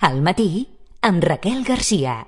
Al matí, amb Raquel Garcia.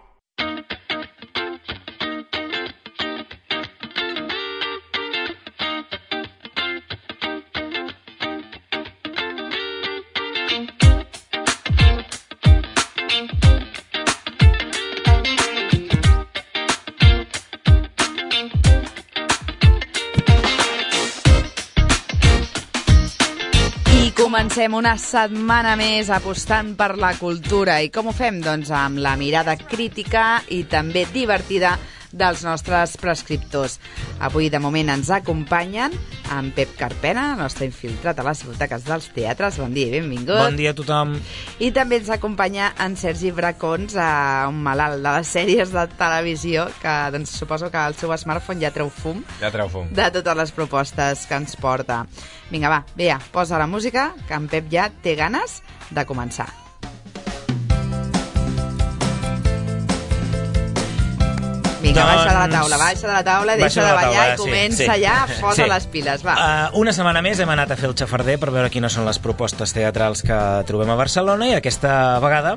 Comencem una setmana més apostant per la cultura. I com ho fem? Doncs amb la mirada crítica i també divertida dels nostres prescriptors. Avui, de moment, ens acompanyen en Pep Carpena, el nostre infiltrat a les butaques dels teatres. Bon dia i benvingut. Bon dia a tothom. I també ens acompanya en Sergi Bracons, un malalt de les sèries de televisió, que doncs, suposo que el seu smartphone ja treu fum. Ja treu fum. De totes les propostes que ens porta. Vinga, va, Bea, posa la música, que en Pep ja té ganes de començar. Vinga, baixa de la taula, deixa de ballar i comença ja, posa les piles, va. Una setmana més hem anat a fer el xafarder per veure quines són les propostes teatrals que trobem a Barcelona i aquesta vegada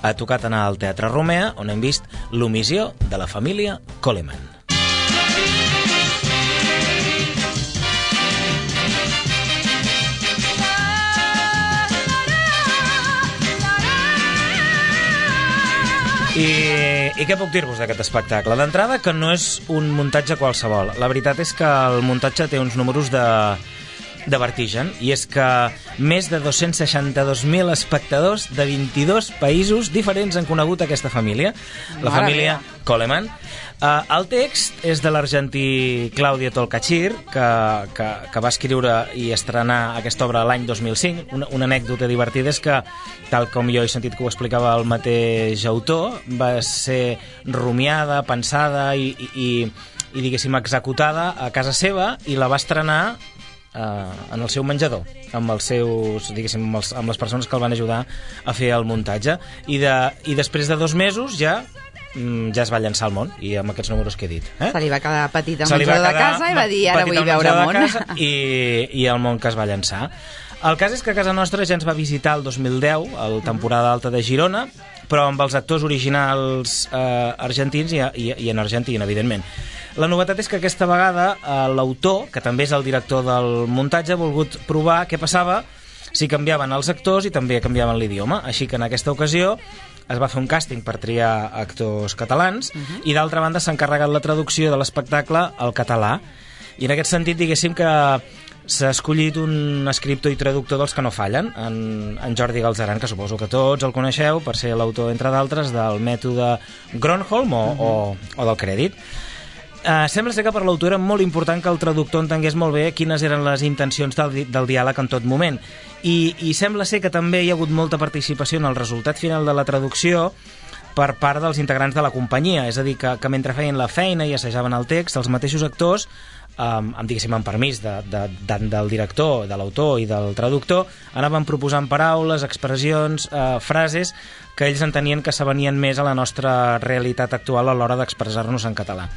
ha tocat anar al Teatre Romea, on hem vist l'omissió de la família Coleman. I què puc dir-vos d'aquest espectacle? D'entrada, que no és un muntatge qualsevol. La veritat és que el muntatge té uns números de vertigen, i és que més de 262.000 espectadors de 22 països diferents han conegut aquesta família, la família Coleman. El text és de l'argentí Claudio Tolcachir, que va escriure i estrenar aquesta obra l'any 2005. Una anècdota divertida és que, tal com jo he sentit que ho explicava el mateix autor, va ser rumiada, pensada i diguéssim, executada a casa seva, i la va estrenar en el seu menjador, amb els seus, diguéssim, amb les persones que el van ajudar a fer el muntatge, i després de 2 mesos ja es va llançar al món, i amb aquests números que he dit. Se li va quedar petit el menjador de casa i va dir, ara vull veure món. I el món que es va llançar. El cas és que a casa nostra ja ens va visitar el 2010, el temporada alta de Girona, però amb els actors originals argentins i en Argentina, evidentment. La novetat és que aquesta vegada l'autor, que també és el director del muntatge, ha volgut provar què passava si canviaven els actors i també canviaven l'idioma. Així que en aquesta ocasió es va fer un càsting per triar actors catalans i d'altra banda s'ha encarregat la traducció de l'espectacle al català. I en aquest sentit, diguéssim que s'ha escollit un escriptor i traductor dels que no fallen, en Jordi Galzeran, que suposo que tots el coneixeu per ser l'autor, entre d'altres, del mètode Gronholm o del crèdit. Sembla ser que per l'autor era molt important que el traductor entengués molt bé quines eren les intencions del diàleg en tot moment. I sembla ser que també hi ha hagut molta participació en el resultat final de la traducció per part dels integrants de la companyia. És a dir, que mentre feien la feina i assajaven el text, els mateixos actors, amb permís del director, de l'autor i del traductor, anaven proposant paraules, expressions, frases que ells entenien que s'avenien més a la nostra realitat actual a l'hora d'expressar-nos en català.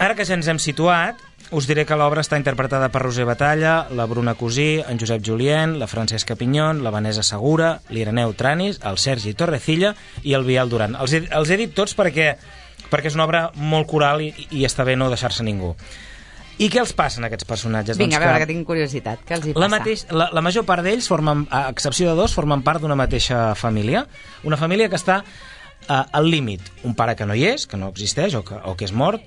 Ara que ja ens hem situat, us diré que l'obra està interpretada per Roser Batalla, la Bruna Cosí, en Josep Julien, la Francesca Pinyón, la Vanessa Segura, l'Ireneu Tranis, el Sergi Torrecilla i el Biel Duran. Els he dit tots perquè és una obra molt coral i està bé no deixar-se ningú. I què els passa a aquests personatges? Vinga, a veure, que tinc curiositat. Què els hi passa? La major part d'ells, a excepció de 2, formen part d'una mateixa família. Una família que està al límit. Un pare que no hi és, que no existeix o que és mort,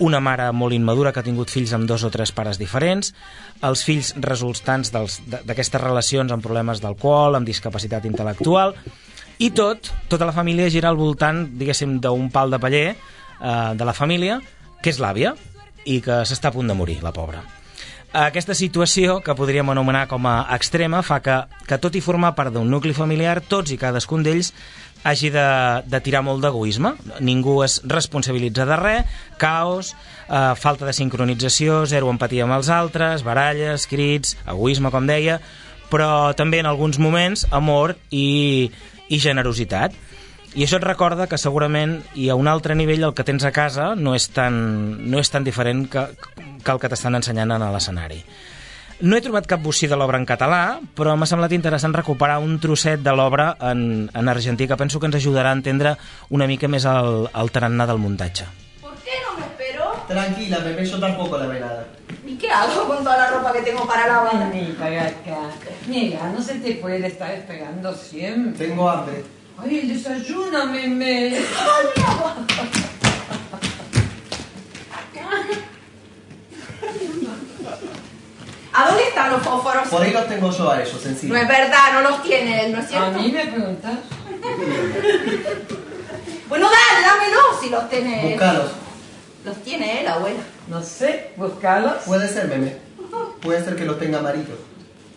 una mare molt immadura que ha tingut fills amb 2 o 3 pares diferents, els fills resultants d'aquestes relacions amb problemes d'alcohol, amb discapacitat intel·lectual, i tota la família gira al voltant, diguéssim, d'un pal de paller de la família, que és l'àvia, i que s'està a punt de morir, la pobra. Aquesta situació, que podríem anomenar com a extrema, fa que tot i formar part d'un nucli familiar, tots i cadascun d'ells hagi de tirar molt d'egoisme. Ningú es responsabilitza de res, caos, falta de sincronització, zero empatia amb els altres, baralles, crits, egoisme, com deia, però també en alguns moments amor i generositat. I això et recorda que segurament i a un altre nivell el que tens a casa no és tan diferent que el que t'estan ensenyant a l'escenari. No he trobat cap bocí de l'obra en català, però m'ha semblat interessant recuperar un trosset de l'obra en argentí, que penso que ens ajudarà a entendre una mica més el tarannà del muntatge. ¿Por qué no me espero? Tranquila, Pepe, yo tampoco la ve nada. ¿Y qué hago con toda la ropa que tengo para lavar? Vení para acá. Mira, no se te puede estar esperando siempre. Tengo hambre. Ay, el desayuno, meme. ¡Ay, mi agua! ¿A dónde están los fósforos? Por ahí los tengo yo a ellos, encima. No es verdad, no los tiene él, ¿no es A cierto? mí me preguntas. Bueno, dale, dámelos si los tiene él. Búscalos. Los tiene él, abuela. No sé, buscarlos. Puede ser, Meme. Puede ser que los tenga amarillos.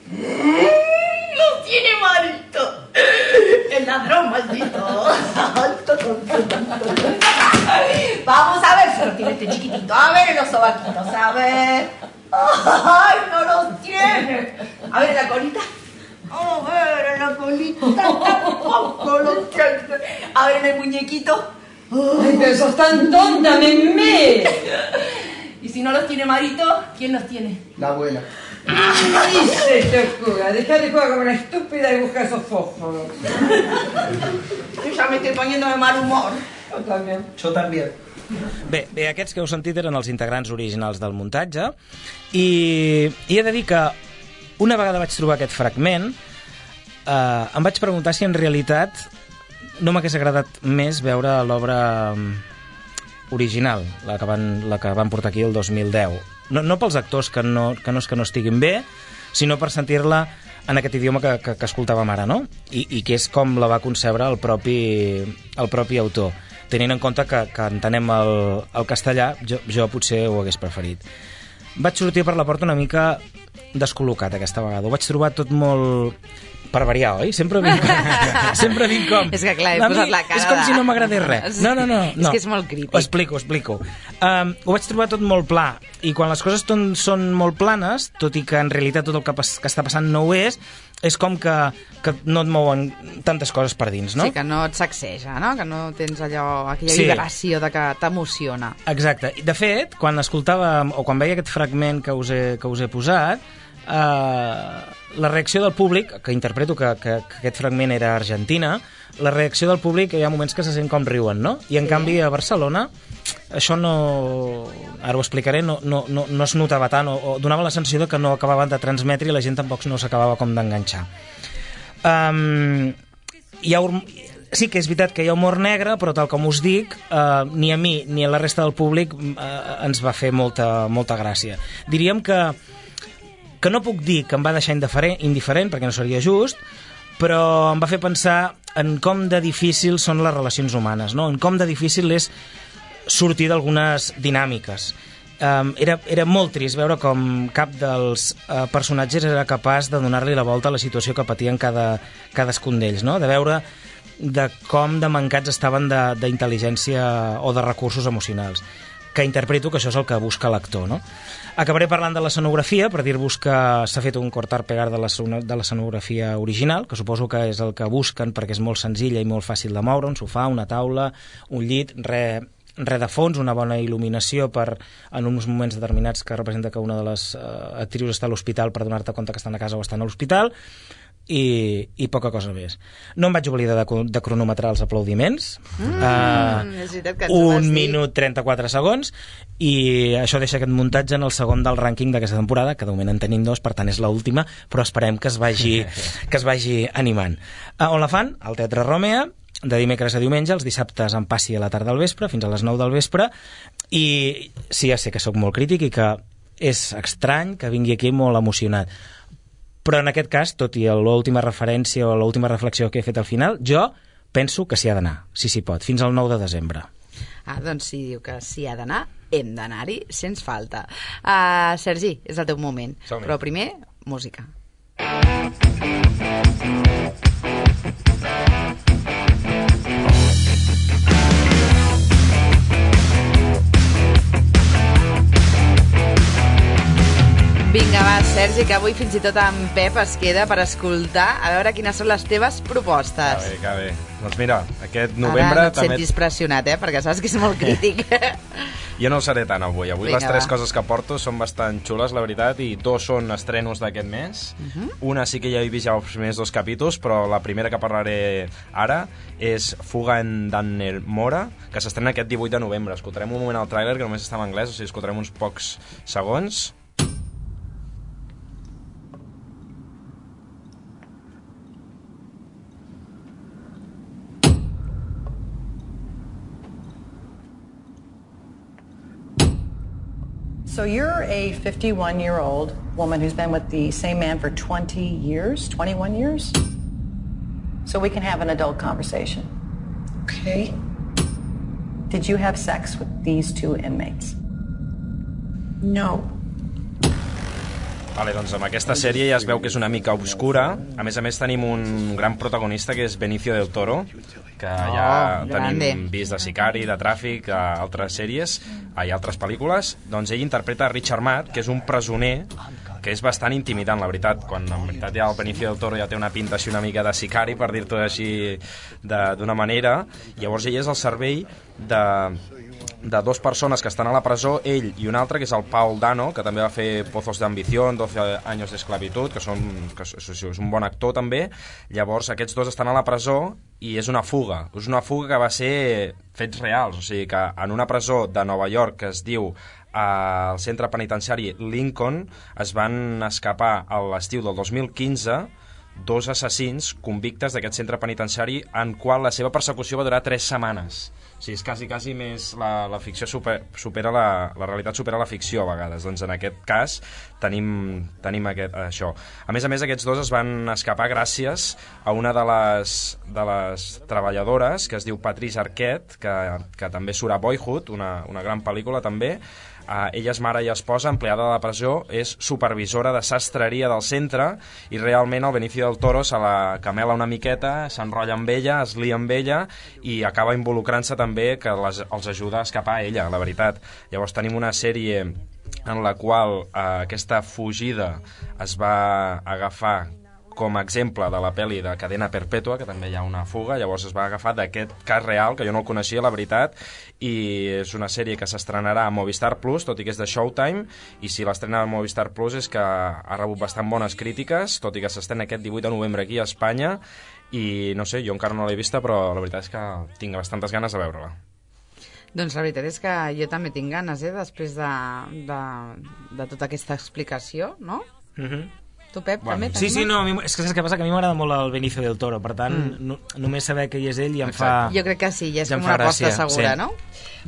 Los tiene Marito. El ladrón maldito. Vamos a ver si los tiene este chiquitito. A ver los sobaquitos, a ver. Ay, no los tiene. A ver la colita. A ver la colita. Tampoco los tiene. A ver el muñequito. Ay, pero sos tan tonta, meme. Y si no los tiene Marito, ¿quién los tiene? La abuela. Y se te ocurra, deja de jugar como una estúpida y busca esos fósforos. Yo ya me estoy poniendo de mal humor. Yo también. Yo también. Bé, aquests que heu sentit eren els integrants originals del muntatge i he de dir que una vegada vaig trobar aquest fragment em vaig preguntar si en realitat no m'hagués agradat més veure l'obra original, la que van portar aquí el 2010. No pels actors que no estiguin bé, sinó per sentir-la en aquest idioma que escoltàvem ara, no? I que és com la va concebre el propi autor. Tenint en compte que entenem el castellà, jo potser ho hagués preferit. Vaig sortir per la porta una mica descol·locat aquesta vegada. Ho vaig trobar tot molt... per variar, oi? Sempre vinc com... És que clar, he posat la cara... És com si no m'agradés res. No. És que és molt crític. Ho explico. Ho vaig trobar tot molt pla, i quan les coses són molt planes, tot i que en realitat tot el que està passant no ho és com que no et mouen tantes coses per dins, no? Sí, que no et sacseja, no? Que no tens aquella vibració de que t'emociona. Exacte. De fet, quan escoltàvem, o quan veia aquest fragment que us he posat, la reacció del públic, que interpreto que aquest fragment era Argentina, la reacció del públic hi ha moments que se sent com riuen, no? I en canvi a Barcelona això no... ara ho explicaré, no es notava tant, o donava la sensació que no acabaven de transmetre i la gent tampoc no s'acabava com d'enganxar. Sí que és veritat que hi ha humor negre, però tal com us dic, ni a mi ni a la resta del públic ens va fer molta gràcia. Diríem que no puc dir que em va deixar indiferent, perquè no seria just, però em va fer pensar en com de difícils són les relacions humanes, no? En com de difícil és sortir d'algunes dinàmiques. Era molt trist veure com cap dels personatges era capaç de donar-li la volta a la situació que patien cadascun d'ells, no? De veure de com de mancats estaven d'intel·ligència o de recursos emocionals, que interpreto que això és el que busca l'actor, no? Acabaré parlant de l'escenografia, per dir-vos que s'ha fet un cortar-pegar de l'escenografia original, que suposo que és el que busquen perquè és molt senzilla i molt fàcil de moure, un sofà, una taula, un llit, res de fons, una bona il·luminació en uns moments determinats que representa que una de les actrius està a l'hospital per donar-te compte que estan a casa o estan a l'hospital, i poca cosa més. No em vaig oblidar de cronometrar els aplaudiments. És veritat que ens ho vas 1 dir. minut 34 segons, i això deixa aquest muntatge en el segon del rànquing d'aquesta temporada, que de moment en tenim 2, per tant és l'última, però esperem que es vagi animant. On la fan? Al Teatre Romea, de dimecres a diumenge, els dissabtes en passi a la tarda al vespre, fins a les 9 del vespre, i sí, ja sé que sóc molt crític i que és estrany que vingui aquí molt emocionat, però en aquest cas, tot i l'última referència o l'última reflexió que he fet al final, jo penso que s'hi ha d'anar, si s'hi pot, fins al 9 de desembre. Doncs si diu que s'hi ha d'anar, hem d'anar-hi sens falta. Sergi, és el teu moment. Som-hi. Però primer, música. Vinga, va, Sergi, que avui fins i tot en Pep es queda per escoltar a veure quines són les teves propostes. Que bé. Doncs mira, aquest novembre... Ara no et sentis pressionat, perquè saps que és molt crític. Jo no ho seré tant avui. Avui Vinga, les tres coses que porto són bastant xules, la veritat, i dos són estrenos d'aquest mes. Una sí que ja he vist ja els primers 2 capítols, però la primera que parlaré ara és Fuga en Dannemora, que s'estrena aquest 18 de novembre. Escoltarem un moment el tràiler, que només està en anglès, o sigui, escoltarem uns pocs segons. So you're a 51-year-old woman who's been with the same man for 20 years, 21 years? So we can have an adult conversation. Okay. Did you have sex with these 2 inmates? No. Vale, doncs amb aquesta sèrie ja es veu que és una mica obscura. A més tenim un gran protagonista que és Benicio del Toro, que ja tenim vist de Sicari, de Tràfic, a altres sèries i altres pel·lícules. Doncs ell interpreta Richard Matt, que és un presoner que és bastant intimidant, la veritat, quan en veritat ja el Benicio del Toro ja té una pinta així una mica de Sicari, per dir-ho així d'una manera. Llavors ell és al servei de 2 persones que estan a la presó, ell i un altre, que és el Paul Dano, que també va fer Pozos de Ambición, 12 años d'esclavitud, que és un bon actor també. Llavors aquests 2 estan a la presó i és una fuga que va ser fets reals, o sigui que en una presó de Nova York que es diu al centre penitenciari Lincoln es van escapar a l'estiu del 2015 2 assassins convictes d'aquest centre penitenciari, en qual la seva persecució va durar 3 setmanes. O sigui, és quasi més la ficció supera la realitat supera la ficció a vegades. Doncs en aquest cas tenim això. A més, aquests 2 es van escapar gràcies a una de les treballadores, que es diu Patrice Arquette, que també surt a Boyhood, una gran pel·lícula també. Ella és mare i esposa, empleada de la presó, és supervisora de sastreria del centre i realment el Benicio del Toro se la camela una miqueta, s'enrotlla amb ella, es lia amb ella i acaba involucrant-se també, que els ajuda a escapar a ella, la veritat. Llavors tenim una sèrie en la qual aquesta fugida es va agafar com a exemple de la pel·li de Cadena Perpètua, que també hi ha una fuga. Llavors es va agafar d'aquest cas real, que jo no el coneixia, la veritat, i és una sèrie que s'estrenarà a Movistar Plus, tot i que és de Showtime, i si l'estrena a Movistar Plus és que ha rebut bastant bones crítiques, tot i que s'estrena aquest 18 de novembre aquí a Espanya, i no sé, jo encara no l'he vista, però la veritat és que tinc bastantes ganes de veure-la. Doncs la veritat és que jo també tinc ganes, després de tota aquesta explicació, no? Tu, Pep, també? Sí, no, és que saps què passa? Que a mi m'agrada molt el Benicio del Toro, per tant, només saber que hi és ell ja em fa... Jo crec que sí, ja és com una aposta segura, no?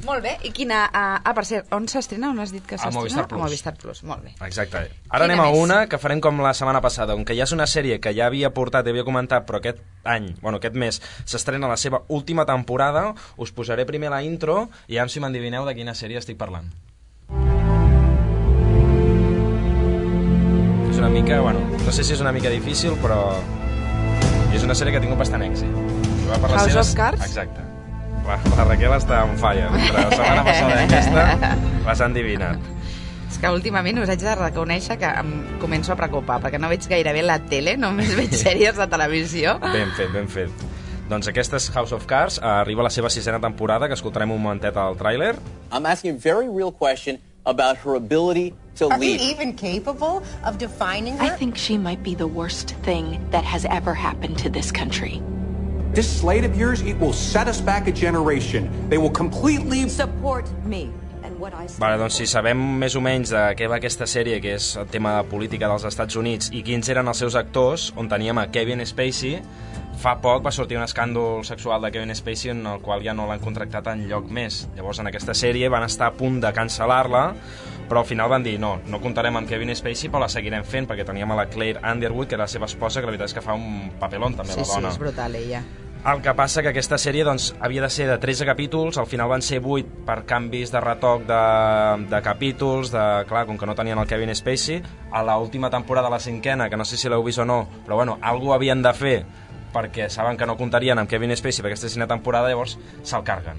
Molt bé, i quina... per cert, on s'estrena? On has dit que s'estrena? A Movistar Plus, molt bé. Exacte. Ara anem a una que farem com la setmana passada, on que ja és una sèrie que ja havia portat, havia comentat, però aquest mes s'estrena la seva última temporada. Us posaré primer la intro i ja si m'endivineu de quina sèrie estic parlant. És una mica, no sé si és una mica difícil, però és una sèrie que ha tingut bastant èxit. House of Cards? Exacte. La Raquel està on falla. Entre la setmana passada i aquesta les han endivinat. És que últimament us haig de reconèixer que em començo a preocupar, perquè no veig gairebé la tele, només veig sèries de televisió. Ben fet. Doncs aquesta és House of Cards, arriba a la seva 6ª temporada, que escoltarem un momentet al tràiler. I'm asking a very real question about her ability to lead. Are we even capable of defining her? I think she might be the worst thing that has ever happened to this country. This slate of yours, it will set us back a generation. They will completely support me. Vale, doncs si sabem més o menys de què va aquesta sèrie, que és el tema de política dels Estats Units, i quins eren els seus actors, on teníem a Kevin Spacey, fa poc va sortir un escàndol sexual de Kevin Spacey en el qual ja no l'han contractat en lloc més. Llavors en aquesta sèrie van estar a punt de cancel·lar-la, però al final van dir no comptarem amb Kevin Spacey, però la seguirem fent, perquè teníem a la Claire Underwood, que era la seva esposa, que la veritat és que fa un papelón també, la dona. Sí, és brutal ella. El que passa que aquesta sèrie havia de ser de 13 capítols, al final van ser 8 per canvis de retoc de capítols, clar, com que no tenien el Kevin Spacey. A l'última temporada, la 5ª, que no sé si l'heu vist o no, però alguna havien de fer, perquè saben que no comptarien amb Kevin Spacey per aquesta 5ª temporada, llavors se'l carguen.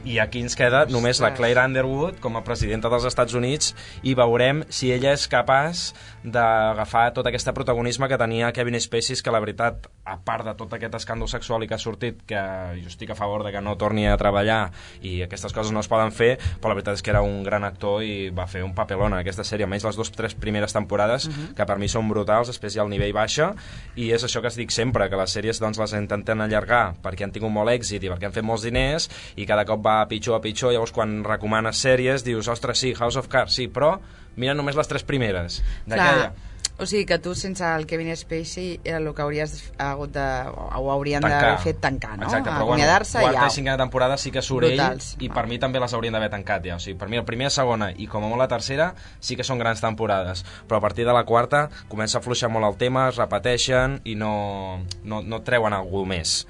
I aquí ens queda només la Claire Underwood com a presidenta dels Estats Units i veurem si ella és capaç d'agafar tot aquest protagonisme que tenia Kevin Spacey, que la veritat, a part de tot aquest escàndol sexual i que ha sortit, que jo estic a favor de que no torni a treballar i aquestes coses no es poden fer, però la veritat és que era un gran actor i va fer un papelón en aquesta sèrie, almenys les 2-3 primeres temporades, que per mi són brutals, després ja el nivell baixa, i és això que es dic sempre, que les sèries doncs, les intenten allargar perquè han tingut molt èxit i perquè han fet molts diners i cada cop va a pitjor, llavors quan recomanes sèries dius, ostres, sí, House of Cards, sí, però mira només les 3 primeres d'aquella. O sigui que tu sense el Kevin Spacey el que hauries hagut de, o haurien d'haver fet tancar, no? Exacte, però acomiadar-se i quarta i cinquena temporada sí que surt brutals. Ell i per mi també les haurien d'haver tancat ja. O sigui, per mi la primera, segona i com a molt la tercera sí que són grans temporades, però a partir de la quarta comença a fluixar molt el tema, es repeteixen i no treuen algú més.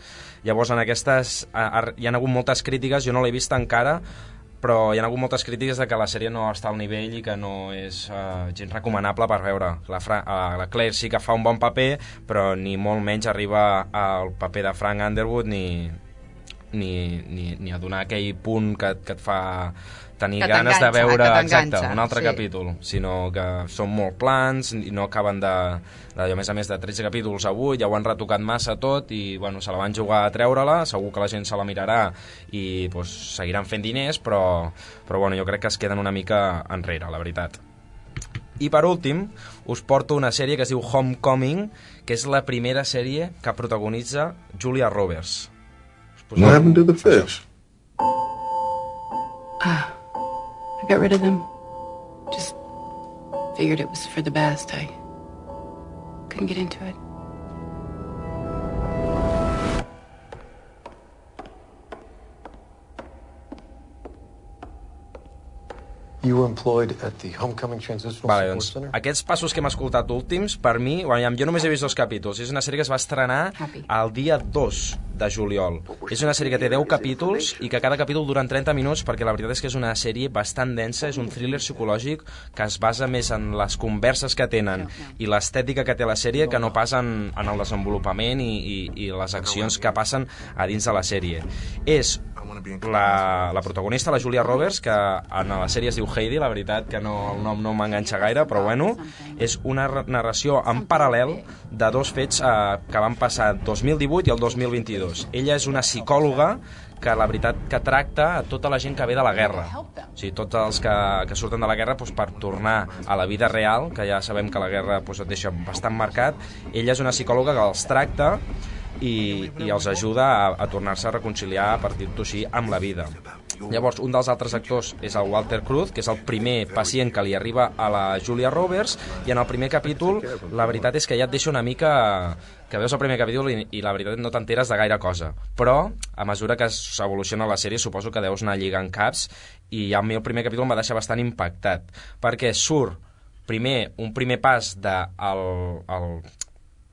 Llavors en aquestes hi ha hagut moltes crítiques, jo no l'he vist encara, però hi ha hagut moltes crítiques de que la sèrie no està al nivell i que no és gens recomanable per veure. La Claire sí que fa un bon paper, però ni molt menys arriba al paper de Frank Underwood ni a donar aquell punt que et fa tenir ganes de veure un altre capítol, sinó que són molt plans i no acaben de a més a més de 13 capítols a 8, ja ho han retocat massa tot i bueno, se la van jugar a treure-la, segur que la gent se la mirarà i pues, seguiran fent diners, però bueno, jo crec que es queden una mica enrere, la veritat. I per últim, us porto una sèrie que es diu Homecoming, que és la primera sèrie que protagonitza Julia Roberts. What happened to the fish? I got rid of them. Just figured it was for the best. I couldn't get into it. You were employed at the Homecoming Transitional Support Center? Aquests passos que hem escoltat últims, per mi, jo només he vist 2 capítols. És una sèrie que es va estrenar el dia 2 de juliol. És una sèrie que té 10 capítols i que cada capítol dura 30 minuts perquè la veritat és que és una sèrie bastant densa, és un thriller psicològic que es basa més en les converses que tenen i l'estètica que té la sèrie que no pas en el desenvolupament i les accions que passen a dins de la sèrie. És la protagonista, la Julia Roberts, que en la sèrie es diu Heidi, la veritat que el nom no m'enganxa gaire, però bueno, és una narració en paral·lel de 2 fets que van passar el 2018 i el 2022. Ella és una psicòloga que la veritat que tracta a tota la gent que ve de la guerra, o sigui, tots els que surten de la guerra doncs, per tornar a la vida real, que ja sabem que la guerra doncs, et deixa bastant marcat. Ella és una psicòloga que els tracta i els ajuda a tornar-se a reconciliar, a partir-ho així, amb la vida. Llavors, un dels altres actors és el Walter Cruz, que és el primer pacient que li arriba a la Julia Roberts, i en el primer capítol la veritat és que ja et deixa una mica que veus el primer capítol i la veritat no t'enteres de gaire cosa, però a mesura que s'evoluciona la sèrie suposo que deus anar lligant caps i a mi el primer capítol em va deixar bastant impactat perquè surt un primer pas del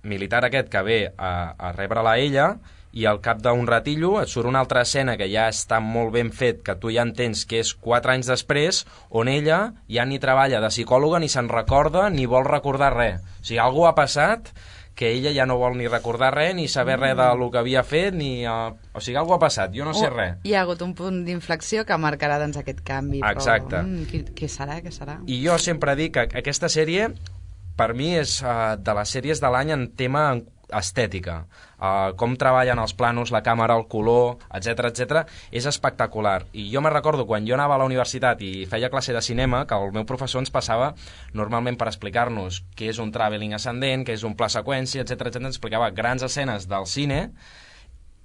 militar aquest que ve a rebre-la a ella i al cap d'un ratillo et surt una altra escena que ja està molt ben fet, que tu ja entens que és 4 anys després, on ella ja ni treballa de psicòloga, ni se'n recorda, ni vol recordar res. O sigui, algú ha passat que ella ja no vol ni recordar res, ni saber res del que havia fet, ni... O sigui, algú ha passat, jo no sé res. Hi ha hagut un punt d'inflexió que marcarà doncs, aquest canvi. Exacte. Però, què serà? I jo sempre dic que aquesta sèrie, per mi, és de les sèries de l'any en tema estètica. Com treballen els planos, la càmera, el color, etc, és espectacular. I jo me recordo quan jo anava a la universitat i feia classe de cinema, que el meu professor ens passava normalment per explicar-nos què és un travelling ascendent, què és un pla seqüència, etc, ens explicava grans escenes del cine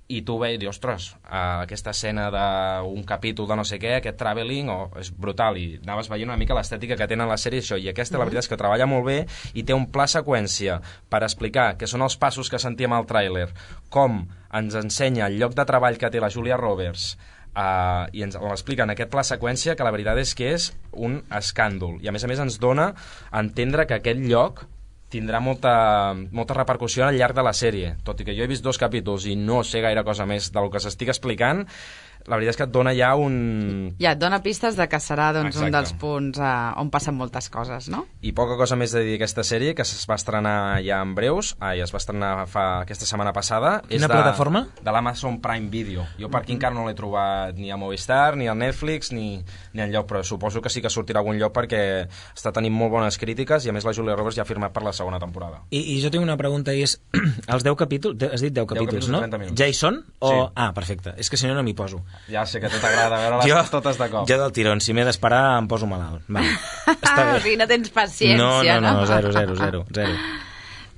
i tu veies, dius, ostres, aquesta escena d'un capítol de no sé què, aquest travelling, és brutal, i anaves veient una mica l'estètica que tenen la sèrie, això, i aquesta la veritat és que treballa molt bé i té un pla seqüència per explicar què són els passos que sentíem al tràiler, com ens ensenya el lloc de treball que té la Julia Roberts, i ens l'explica en aquest pla seqüència, que la veritat és que és un escàndol, i a més ens dona a entendre que aquest lloc tindrà molta repercussió al llarg de la sèrie, tot i que jo he vist 2 capítols i no sé gaire cosa més del que s'estic explicant. la veritat és que et dona ja un... Ja, et dona pistes de que serà doncs, un dels punts on passen moltes coses, no? I poca cosa més de dir d'aquesta sèrie, que es va estrenar ja en breus, es va estrenar aquesta setmana passada. Quina plataforma? De l'Amazon Prime Video. Jo per aquí encara no l'he trobat ni a Movistar, ni a Netflix, ni enlloc, però suposo que sí que sortirà a algun lloc perquè està tenint molt bones crítiques i a més la Julia Roberts ja ha firmat per la segona temporada. I jo tinc una pregunta i és, els 10 capítols, has dit 10 capítols, no? Ja hi són? Sí. Ah, perfecte, és que si no no m'hi poso. Ja sé que a tu t'agrada veure-les totes de cop. Jo del tirón, si m'he d'esperar em poso malalt. Està bé. O sigui, no tens paciència, no? Zero.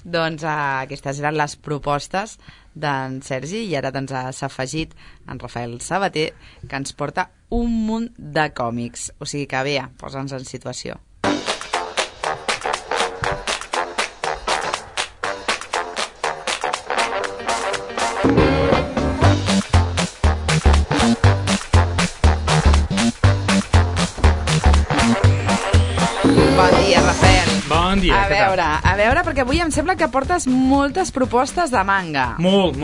Doncs aquestes eren les propostes d'en Sergi i ara doncs s'ha afegit en Rafael Sabater, que ens porta un munt de còmics. O sigui que bé, posa'ns en situació. Bon dia, Rafael. Bon dia, a veure, perquè avui em sembla que portes moltes propostes de manga. Molt.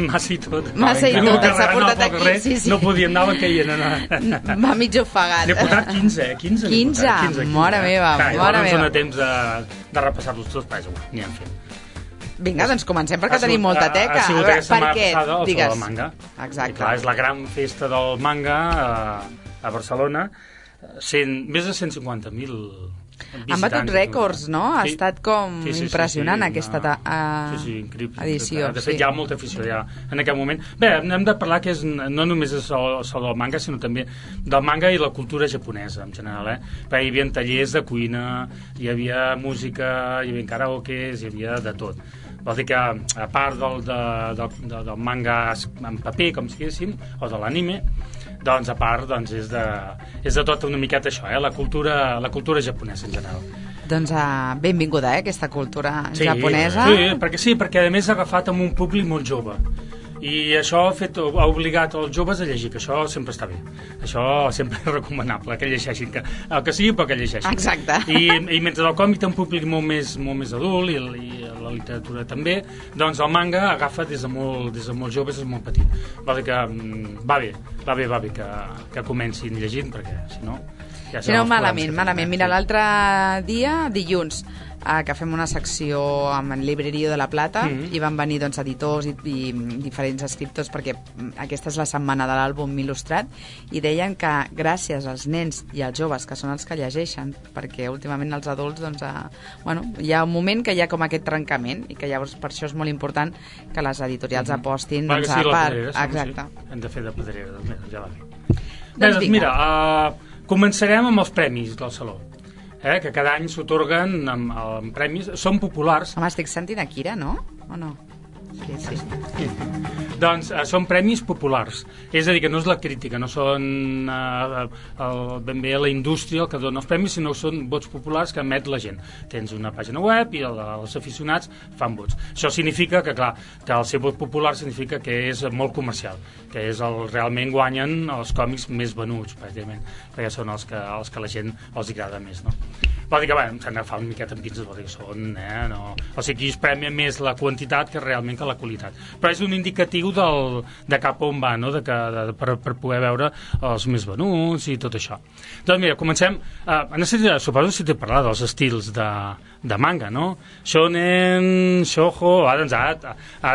Massa i tot. S'ha portat aquí. Sí. No podíem anar, que hi era... Va mig ofegat. N'he portat 15. 15? Mare meva. No ens dona temps de repassar-los tots, però n'hi hem fet. Vinga, doncs comencem perquè tenim molta teca. Ha sigut aquesta setmana passada el Saló del Manga. Exacte. I clar, és la gran festa del manga a Barcelona. Més de 150.000 visitants. Han batut rècords, no? Ha estat com impressionant aquesta increïble. edició. De fet, hi ha molta afició ja en aquest moment. Bé, hem de parlar que no només és el del manga, sinó també del manga i la cultura japonesa, en general. Perquè hi havia tallers de cuina, hi havia música, hi havia karaokes, hi havia de tot. Vol dir que, a part del manga en paper, com si diguéssim, o de l'anime, doncs a part és de tot una miqueta això, la cultura japonesa en general. Doncs benvinguda, aquesta cultura japonesa. Sí, perquè a més ha agafat amb un públic molt jove. I això ha obligat els joves a llegir, que això sempre està bé. Això sempre és recomanable, que llegeixin, el que sigui, però que llegeixin. Exacte. I mentre el còmic té un públic molt més adult, i la literatura també, doncs el manga agafa des de molt jove, des de molt petit. Vol dir que va bé que comencin llegint, perquè si no... Si no, malament. Mira, l'altre dia, dilluns, que fem una secció amb el Librerio de la Plata i van venir editors i diferents escriptors perquè aquesta és la setmana de l'àlbum il·lustrat i deien que gràcies als nens i als joves, que són els que llegeixen, perquè últimament els adults hi ha un moment que hi ha com aquest trencament i que llavors per això és molt important que les editorials apostin a part. Exacte. Hem de fer de pedrera, ja va bé. Doncs mira, començarem amb els premis del Saló. Que cada any s'atorguen amb premis, són populars. Home, estic sentint Akira, no? O no? Sí. Doncs són premis populars, és a dir, que no és la crítica, no són ben bé la indústria el que dona els premis, sinó són vots populars que emet la gent. Tens una pàgina web i els aficionats fan vots. Això significa que, clar, que el ser vot popular significa que és molt comercial, que és realment guanyen els còmics més venuts, pràcticament, perquè són els que la gent els agrada més, no? Vol dir que, s'han d'agafar una miqueta amb pinces, vol dir que són, no? O sigui, aquí es premia més la quantitat que realment que la qualitat. Però és un indicatiu de cap on va, no? Per poder veure els més venuts i tot això. Doncs mira, comencem. Suposo si t'he parlat dels estils de manga, no? Shonen, shoujo... Ara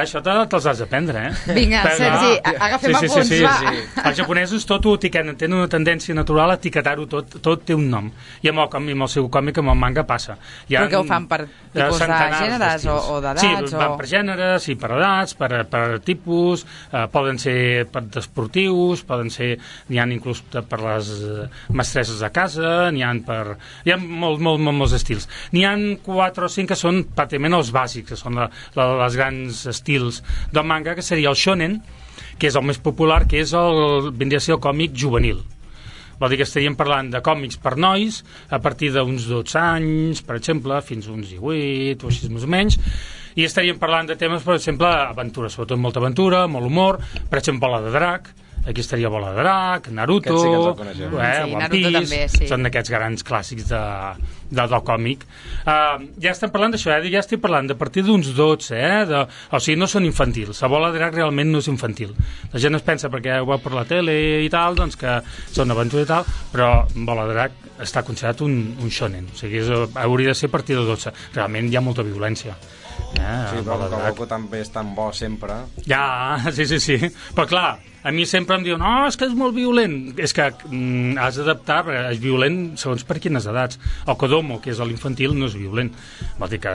això te'ls has d'aprendre, Vinga, Sergi, agafem apunts, va. Els japonesos tot ho etiqueten, tenen una tendència natural a etiquetar-ho tot té un nom. I amb el seu còmic, amb el manga, passa. Però què ho fan per tipus de gèneres o d'edats? Sí, van per gèneres i per edats, per tipus, poden ser per esportius, n'hi ha inclús per les mestresses de casa, n'hi ha molts estils. N'hi ha 4 o 5 que són pràcticament els bàsics, que són els grans estils del manga, que seria el shonen, que és el més popular, que vindria a ser el còmic juvenil. Vol dir que estaríem parlant de còmics per nois a partir d'uns 12 anys, per exemple, fins a uns 18 o així més o menys, i estaríem parlant de temes, per exemple, aventura, sobretot molta aventura, molt humor, per exemple, la de drac, Aquí estaria Bola de Drac, Naruto, Aquest sí que ens el coneixem. One Naruto Piece, també, sí. són d'aquests grans clàssics del còmic. Ja estem parlant d'això, ja estic parlant de partir d'uns 12, o sigui, no són infantils. La Bola de Drac realment no és infantil. La gent es pensa, perquè ho veu per la tele i tal, doncs que són aventura i tal, però Bola de Drac està considerat un shonen, o sigui, hauria de ser a partir de 12. Realment hi ha molta violència. Sí, però el Goku també és tan bo sempre. Ja, sí. Però clar, a mi sempre em diuen no, és que és molt violent. És que has d'adaptar, perquè és violent segons per quines edats. El Kodomo, que és l'infantil, no és violent. Vol dir que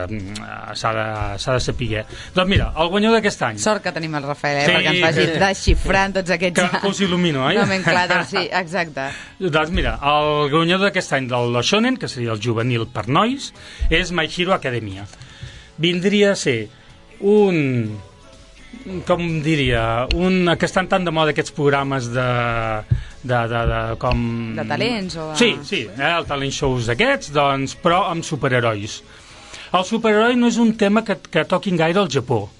s'ha de saber. Doncs mira, el guanyador d'aquest any. Sort que tenim el Rafael, perquè ens vagi desxifrant tots aquests... Que us il·lumino, oi? Nomenclàtors, sí, exacte. Doncs mira, el guanyador d'aquest any del Shonen, que seria el juvenil per nois, és My Hero Academia. Vindria a ser com diria, que estan tan de moda aquests programes com... De talents o... Sí, el talent shows aquests, doncs, però amb superherois. El superheroi no és un tema que toquin gaire al Japó.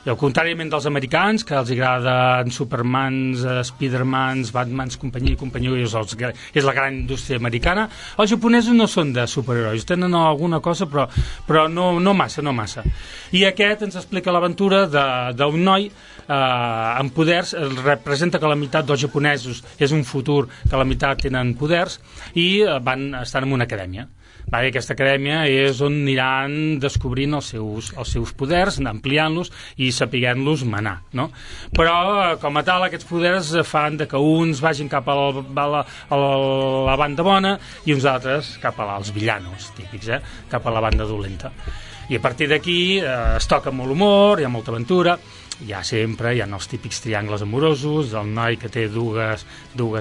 I al contràriament dels americans, que els agraden Supermans, Spidermans, Batmans, companyia, és la gran indústria americana, els japonesos no són de superherois, tenen alguna cosa, però no massa. I aquest ens explica l'aventura d'un noi amb poders, representa que la meitat dels japonesos és un futur, que la meitat tenen poders, i estan en una acadèmia. Aquesta acadèmia és on aniran descobrint els seus poders, ampliant-los i sapiguent-los manar, no? Però, com a tal, aquests poders fan que uns vagin cap a la banda bona i uns altres cap als villanos, típics, cap a la banda dolenta. I a partir d'aquí es toca molt humor, hi ha molta aventura, hi ha els típics triangles amorosos, el noi que té dues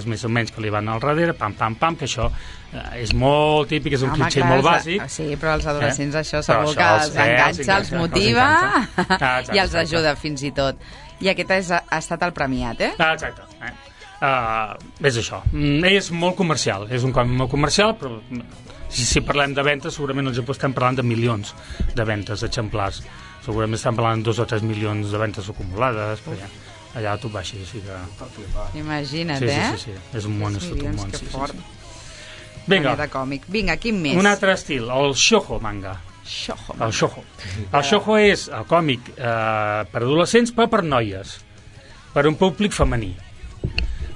més o menys que li van al darrere, pam, que això és molt típic, és un clitxer molt bàsic. Sí, però els adolescents això segur que els enganxa, els motiva i els ajuda fins i tot. I aquest ha estat el premiat, Exacte. És això. És molt comercial, és un còmic molt comercial, però si parlem de ventes, segurament al Japó estem parlant de milions de ventes exemplars. Segurament estem parlant de 2 o 3 milions de ventes acumulades, però allà tu baixes, així que... Imagina't, Sí, és un món, és tot un món. Que fort. Vinga, quin més? Un altre estil, el shoujo manga. El shoujo és el còmic per adolescents, però per noies, per un públic femení.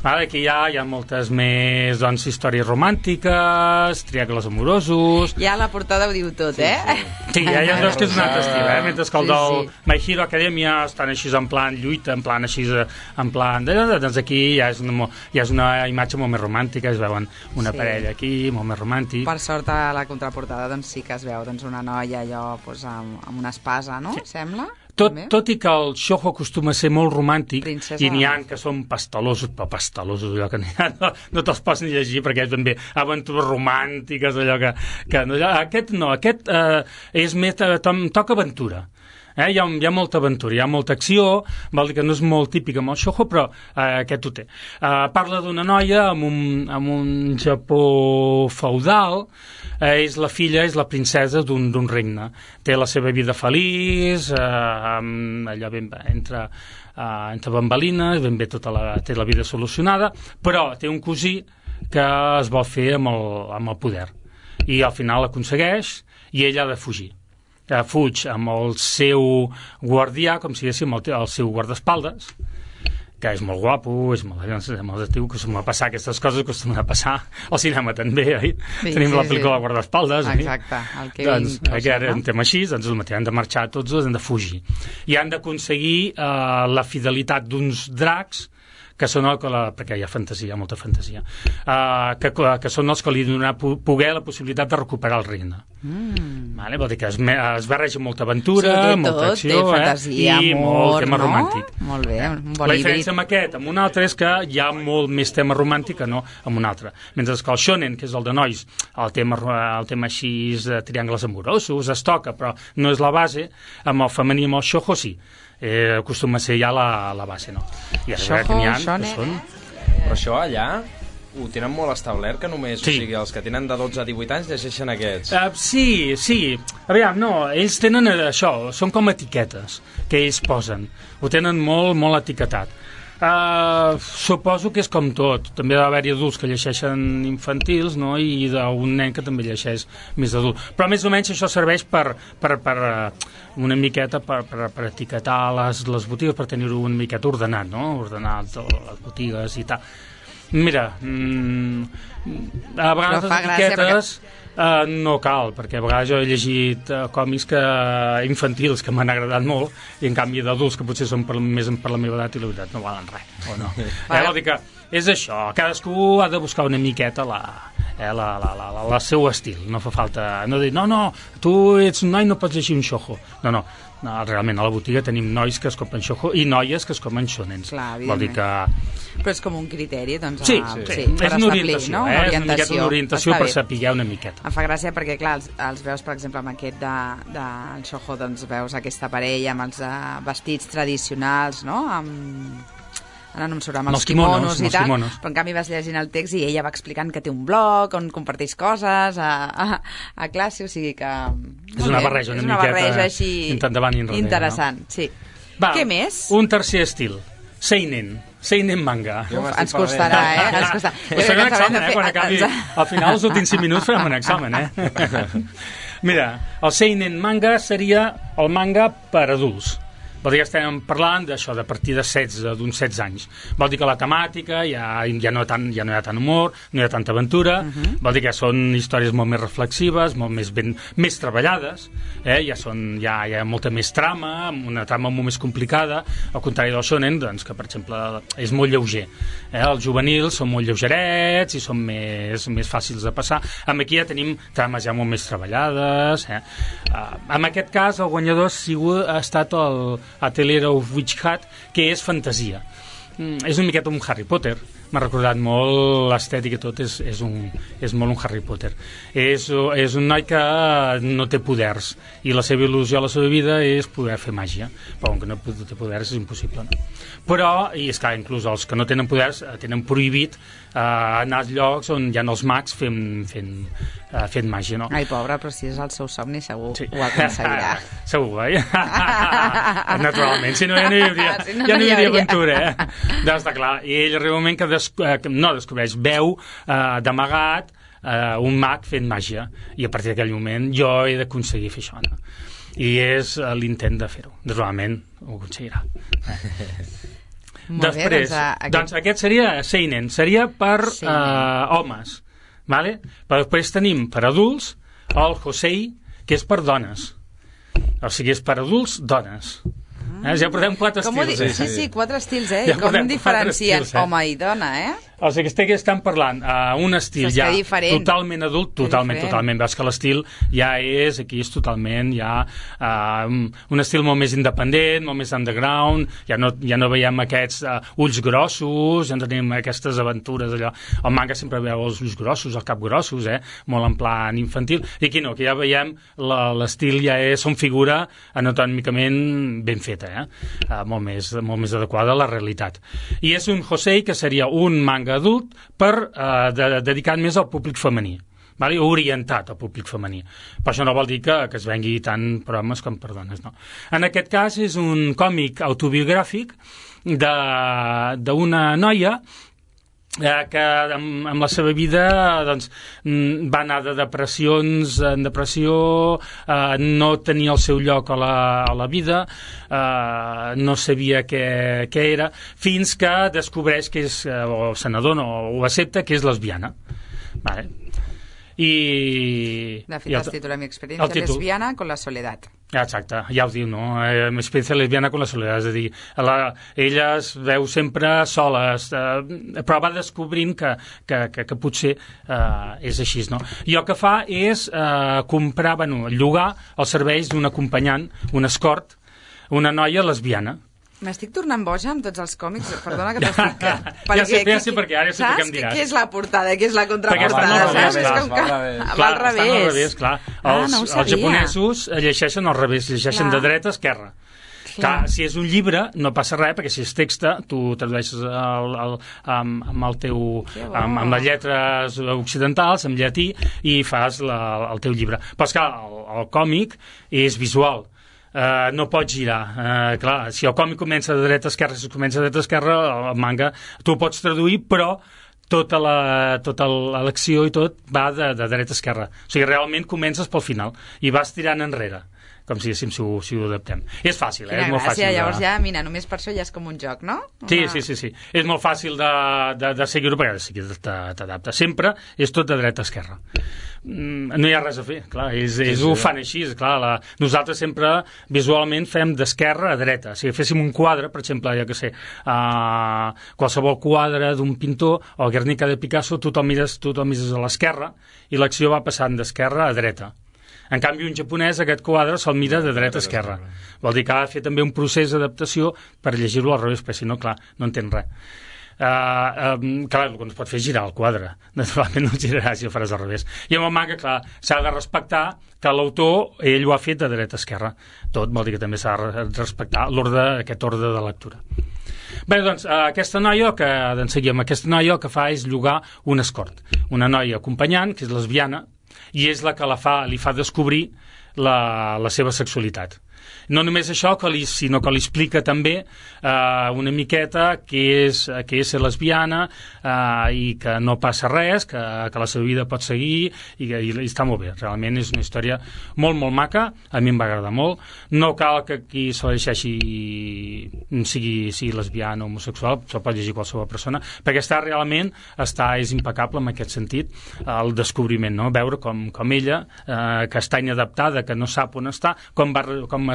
Aquí hi ha moltes més històries romàntiques, triangles amorosos... Ja la portada ho diu tot, Sí, ja veus que és un altre estil, mentre que el del My Hero Academia estan així en plan lluita, en plan així, en plan... Doncs aquí ja és una imatge molt més romàntica, es veuen una parella aquí, molt més romàntic. Per sort, a la contraportada doncs sí que es veu una noia allò amb una espasa, no? Sembla? Tot i que el shoujo acostuma a ser molt romàntic, i n'hi ha que són pastelosos, allò que no te'ls pots ni llegir perquè és ben bé aventures romàntiques, allò que aquest no, aquest és més, toca aventura. Hi ha molta aventura, hi ha molta acció, vol dir que no és molt típic amb el shoujo, però aquest ho té. Parla d'una noia amb un Japó feudal, és la filla, és la princesa d'un regne. Té la seva vida feliç, allò entre bambalines, ben bé té la vida solucionada, però té un cosí que es vol fer amb el poder. I al final l'aconsegueix i ella ha de fugir. Fuig amb el seu guardià, com si diguéssim el seu guardaespaldes, que és molt guapo, és molt atractiu, que acostuma a passar aquestes coses, acostuma a passar al cinema també, oi? Tenim la pel·lícula Guardaespaldes, oi? Exacte, el que doncs, ara un tema així, doncs han de marxar tots dos, han de fugir. I han d'aconseguir la fidelitat d'uns dracs, que són perquè hi ha fantasia, hi ha molta fantasia, que són els que li donen poder la possibilitat de recuperar el regne. Vol dir que es barreja molta aventura, molta acció, fantasia, i molt tema romàntic. Molt bé, un bon la diferència amb aquest, amb un altre, és que hi ha molt més tema romàntic que no amb un altre. Mentre que el shonen, que és el de nois, el tema així de triangles amorosos es toca, però no és la base. Amb el femení, amb el shoujo, sí. Acostuma a ser ja la base, no? I ara que n'hi ha, que són... Però això allà ho tenen molt establert, que només, o sigui, els que tenen de 12 a 18 anys llegeixen aquests. Sí. Aviam, no, ells tenen això, són com etiquetes que ells posen. Ho tenen molt, molt etiquetat. Suposo que és com tot. També ha d'haver-hi adults que llegeixen infantils, no? I d'un nen que també llegeix més adult. Però més o menys això serveix per una miqueta per etiquetar les botigues, per tenir-ho una miqueta ordenat, no? Ordenat les botigues i tal. Mira, a vegades les etiquetes no cal, perquè a vegades jo he llegit còmics infantils que m'han agradat molt, i en canvi d'adults que potser són més per la meva edat, i la veritat no valen res, o no? Vol dir que és això, cadascú ha de buscar una miqueta el seu estil, no fa falta no dir, no, tu ets un noi, no pots llegir un shoujo, no, realment a la botiga tenim nois que es compren shoujo i noies que es compren shonens. Vol dir que... Però és com un criteri, doncs... Sí, és una orientació, no? És una orientació per saber una miqueta. Em fa gràcia perquè, clar, els veus, per exemple, amb aquest del shoujo, doncs veus aquesta parella amb els vestits tradicionals, no? Ara no em surt, amb els kimonos i tal, però en canvi vas llegint el text i ella va explicant que té un blog on comparteix coses a classe, o sigui que... És una barreja una miqueta així endavant i enrere, interessant, sí. Què més? Un tercer estil, Seinen manga. Ens costarà, ens costarà. Farem un examen, quan acabi. Al final, els últims 5 minuts farem un examen, Mira, el Seinen manga seria el manga per adults. Vol dir que estem parlant d'això, de partir de 16, d'uns 16 anys. Vol dir que la temàtica ja no hi ha tant humor, no hi ha tanta aventura, vol dir que són històries molt més reflexives, molt més treballades, hi ha molta més trama, una trama molt més complicada, al contrari del shonen, doncs, que per exemple és molt lleuger. Els juvenils són molt lleugerets i són més fàcils de passar. Aquí ja tenim trames ja molt més treballades. En aquest cas, el guanyador ha estat el Atelier of Witch Hat, que és fantasia. És una miqueta un Harry Potter, m'ha recordat molt l'estètica i tot, és molt un Harry Potter. És un noi que no té poders i la seva il·lusió a la seva vida és poder fer màgia, però com que no té poders és impossible, no? Però, i és clar, inclús els que no tenen poders tenen prohibit anar als llocs on hi ha els mags fent màgia, no? Ai, pobre, però si és el seu somni segur ho aconseguirà. Segur, naturalment, si no ja no hi hauria aventura, doncs està clar, i ell arriba un moment que descobreix, veu d'amagat un mag fent màgia, i a partir d'aquell moment jo he d'aconseguir fer això, no? I és l'intent de fer-ho, naturalment ho aconseguirà. Després, doncs aquest seria Seinen, seria per homes, vale? Però després tenim per adults el Josei, que és per dones, o sigui, és per adults, dones. Ja portem 4 estils. Sí, 4 estils, i com diferencien home i dona, O sigui, que estan parlant un estil ja totalment adult, totalment. Veus que l'estil ja és, aquí és totalment ja un estil molt més independent, molt més underground, ja no veiem aquests ulls grossos, ja no tenim aquestes aventures allò. El manga sempre veu els ulls grossos, el cap grossos, molt en plan infantil, i aquí no, que ja veiem l'estil ja és, són figura anatòmicament ben feta, molt més adequada a la realitat. I és un Josei, que seria un manga adult dedicat més al públic femení, orientat al públic femení. Però això no vol dir que es vengui tant per homes com per dones, no. En aquest cas és un còmic autobiogràfic d'una noia que amb la seva vida doncs, va anar de depressions en depressió, no tenia el seu lloc a la vida, no sabia què era, fins que descobreix que és, o se n'adona o ho accepta, que és lesbiana. Vale. De fet, es titula Mi experiencia lesbiana con la soledad. Exacte, ja ho diu, no? Mi experiencia lesbiana con la soledad, és a dir, ella es veu sempre sola, però va descobrint que potser és així, no? I el que fa és comprar, llogar els serveis d'un acompanyant, un escort, una noia lesbiana. M'estic tornant boja amb tots els còmics, perdona que t'estic... Ja sé per què, ara sé per què em diràs. Què és la portada, què és la contraportada, saps? És com que va al revés. Estan al revés, clar. Els japonesos llegeixen al revés, llegeixen de dreta a esquerra. Clar, si és un llibre no passa res, perquè si és text tu tradueixes amb les lletres occidentals, amb llatí, i fas el teu llibre. Però esclar, el còmic és visual. no pots girar. Clar, si el còmic comença de dreta a esquerra, si comença de dreta a esquerra, el manga tu ho pots traduir, però tota l'acció i tot va de dreta a esquerra. O sigui, realment comences pel final i vas tirant enrere, com si ho adaptem. És fàcil, és molt fàcil. Llavors ja, mira, només per això ja és com un joc, no? Sí. És molt fàcil de seguir-ho perquè t'adapta. Sempre és tot de dreta a esquerra. No hi ha res a fer, clar, ho fan així, clar, nosaltres sempre visualment fem d'esquerra a dreta. Si féssim un quadre, per exemple, ja que sé, qualsevol quadre d'un pintor o Guernica de Picasso, tothom mires a l'esquerra i l'acció va passant d'esquerra a dreta. En canvi, un japonès, aquest quadre, se'l mira de dreta a esquerra. Vol dir que ha de fer també un procés d'adaptació per llegir-lo al revés, perquè si no, clar, no entén res. Clar, el que no es pot fer és girar el quadre. Naturalment no girarà si ho faràs al revés. I amb el manga, clar, s'ha de respectar que l'autor, ell ho ha fet de dreta a esquerra. Tot vol dir que també s'ha de respectar aquest ordre de lectura. Bé, doncs, aquesta noia, aquesta noia el que fa és llogar un escort. Una noia acompanyant, que és lesbiana, i és la que li fa descobrir la seva sexualitat. No només això, sinó que li explica també una miqueta què és ser lesbiana i que no passa res, que la seva vida pot seguir i està molt bé. Realment és una història molt, molt maca, a mi em va agradar molt. No cal que qui se la llegeixi sigui lesbiana o homosexual, se'l pot llegir qualsevol persona, perquè és impecable en aquest sentit, el descobriment, no? Veure com ella, que està inadaptada, que no sap on està, com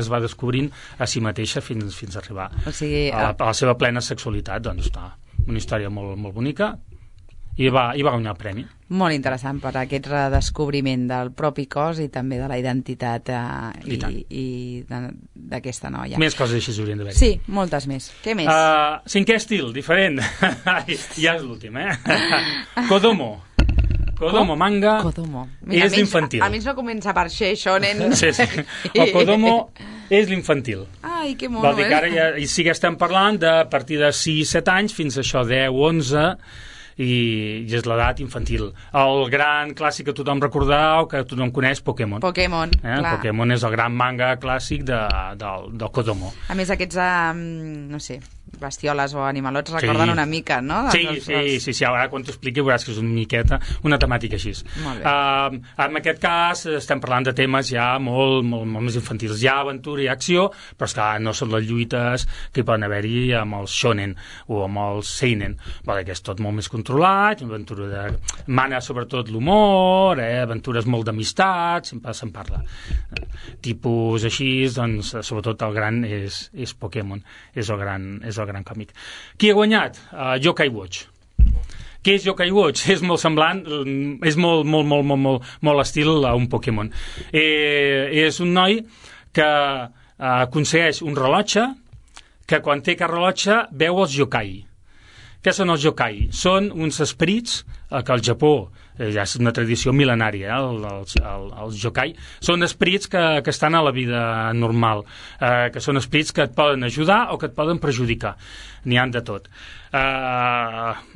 es va descobrint a si mateixa fins a arribar a la seva plena sexualitat. Doncs està una història molt, molt bonica i va guanyar el premi. Molt interessant per aquest redescobriment del propi cos i també de la identitat i d'aquesta noia. Més coses així s'haurien d'haver. Sí, moltes més. Què més? Cinquè estil, diferent. Ja és l'últim, Kodomo. Kodomo manga és l'infantil. Almenys no comença per shonen. Sí. El Kodomo és l'infantil. Ai, que mono, Vol dir que ara sí que estem parlant de a partir de 6-7 anys fins a això 10-11 i és l'edat infantil. El gran clàssic que tothom recordarà o que tothom coneix, Pokémon. Pokémon, clar. Pokémon és el gran manga clàssic del Kodomo. A més, aquests, no sé, bestioles o animalots recorden una mica, no? Sí, ara quan t'ho expliqui veuràs que és una miqueta una temàtica així. Molt bé. En aquest cas estem parlant de temes ja molt, molt, molt més infantils. Hi ha aventura i acció, però és que no són les lluites que hi poden haver-hi amb els shonen o amb els seinen. Que és tot molt més controlat, mana sobretot l'humor, aventures molt d'amistat, sempre se'n parla. Tipus així, doncs, sobretot el gran és Pokémon, és el gran còmic. Qui ha guanyat? Yokai Watch. Què és Yokai Watch? És molt semblant, és molt estil a un Pokémon. És un noi que aconsegueix un rellotge que quan té aquest rellotge veu els yokai. Què són els yokai? Són uns esperits que al Japó ja és una tradició mil·lenària, els yokai són esperits que estan a la vida normal, que són esperits que et poden ajudar o que et poden perjudicar. N'hi han de tot.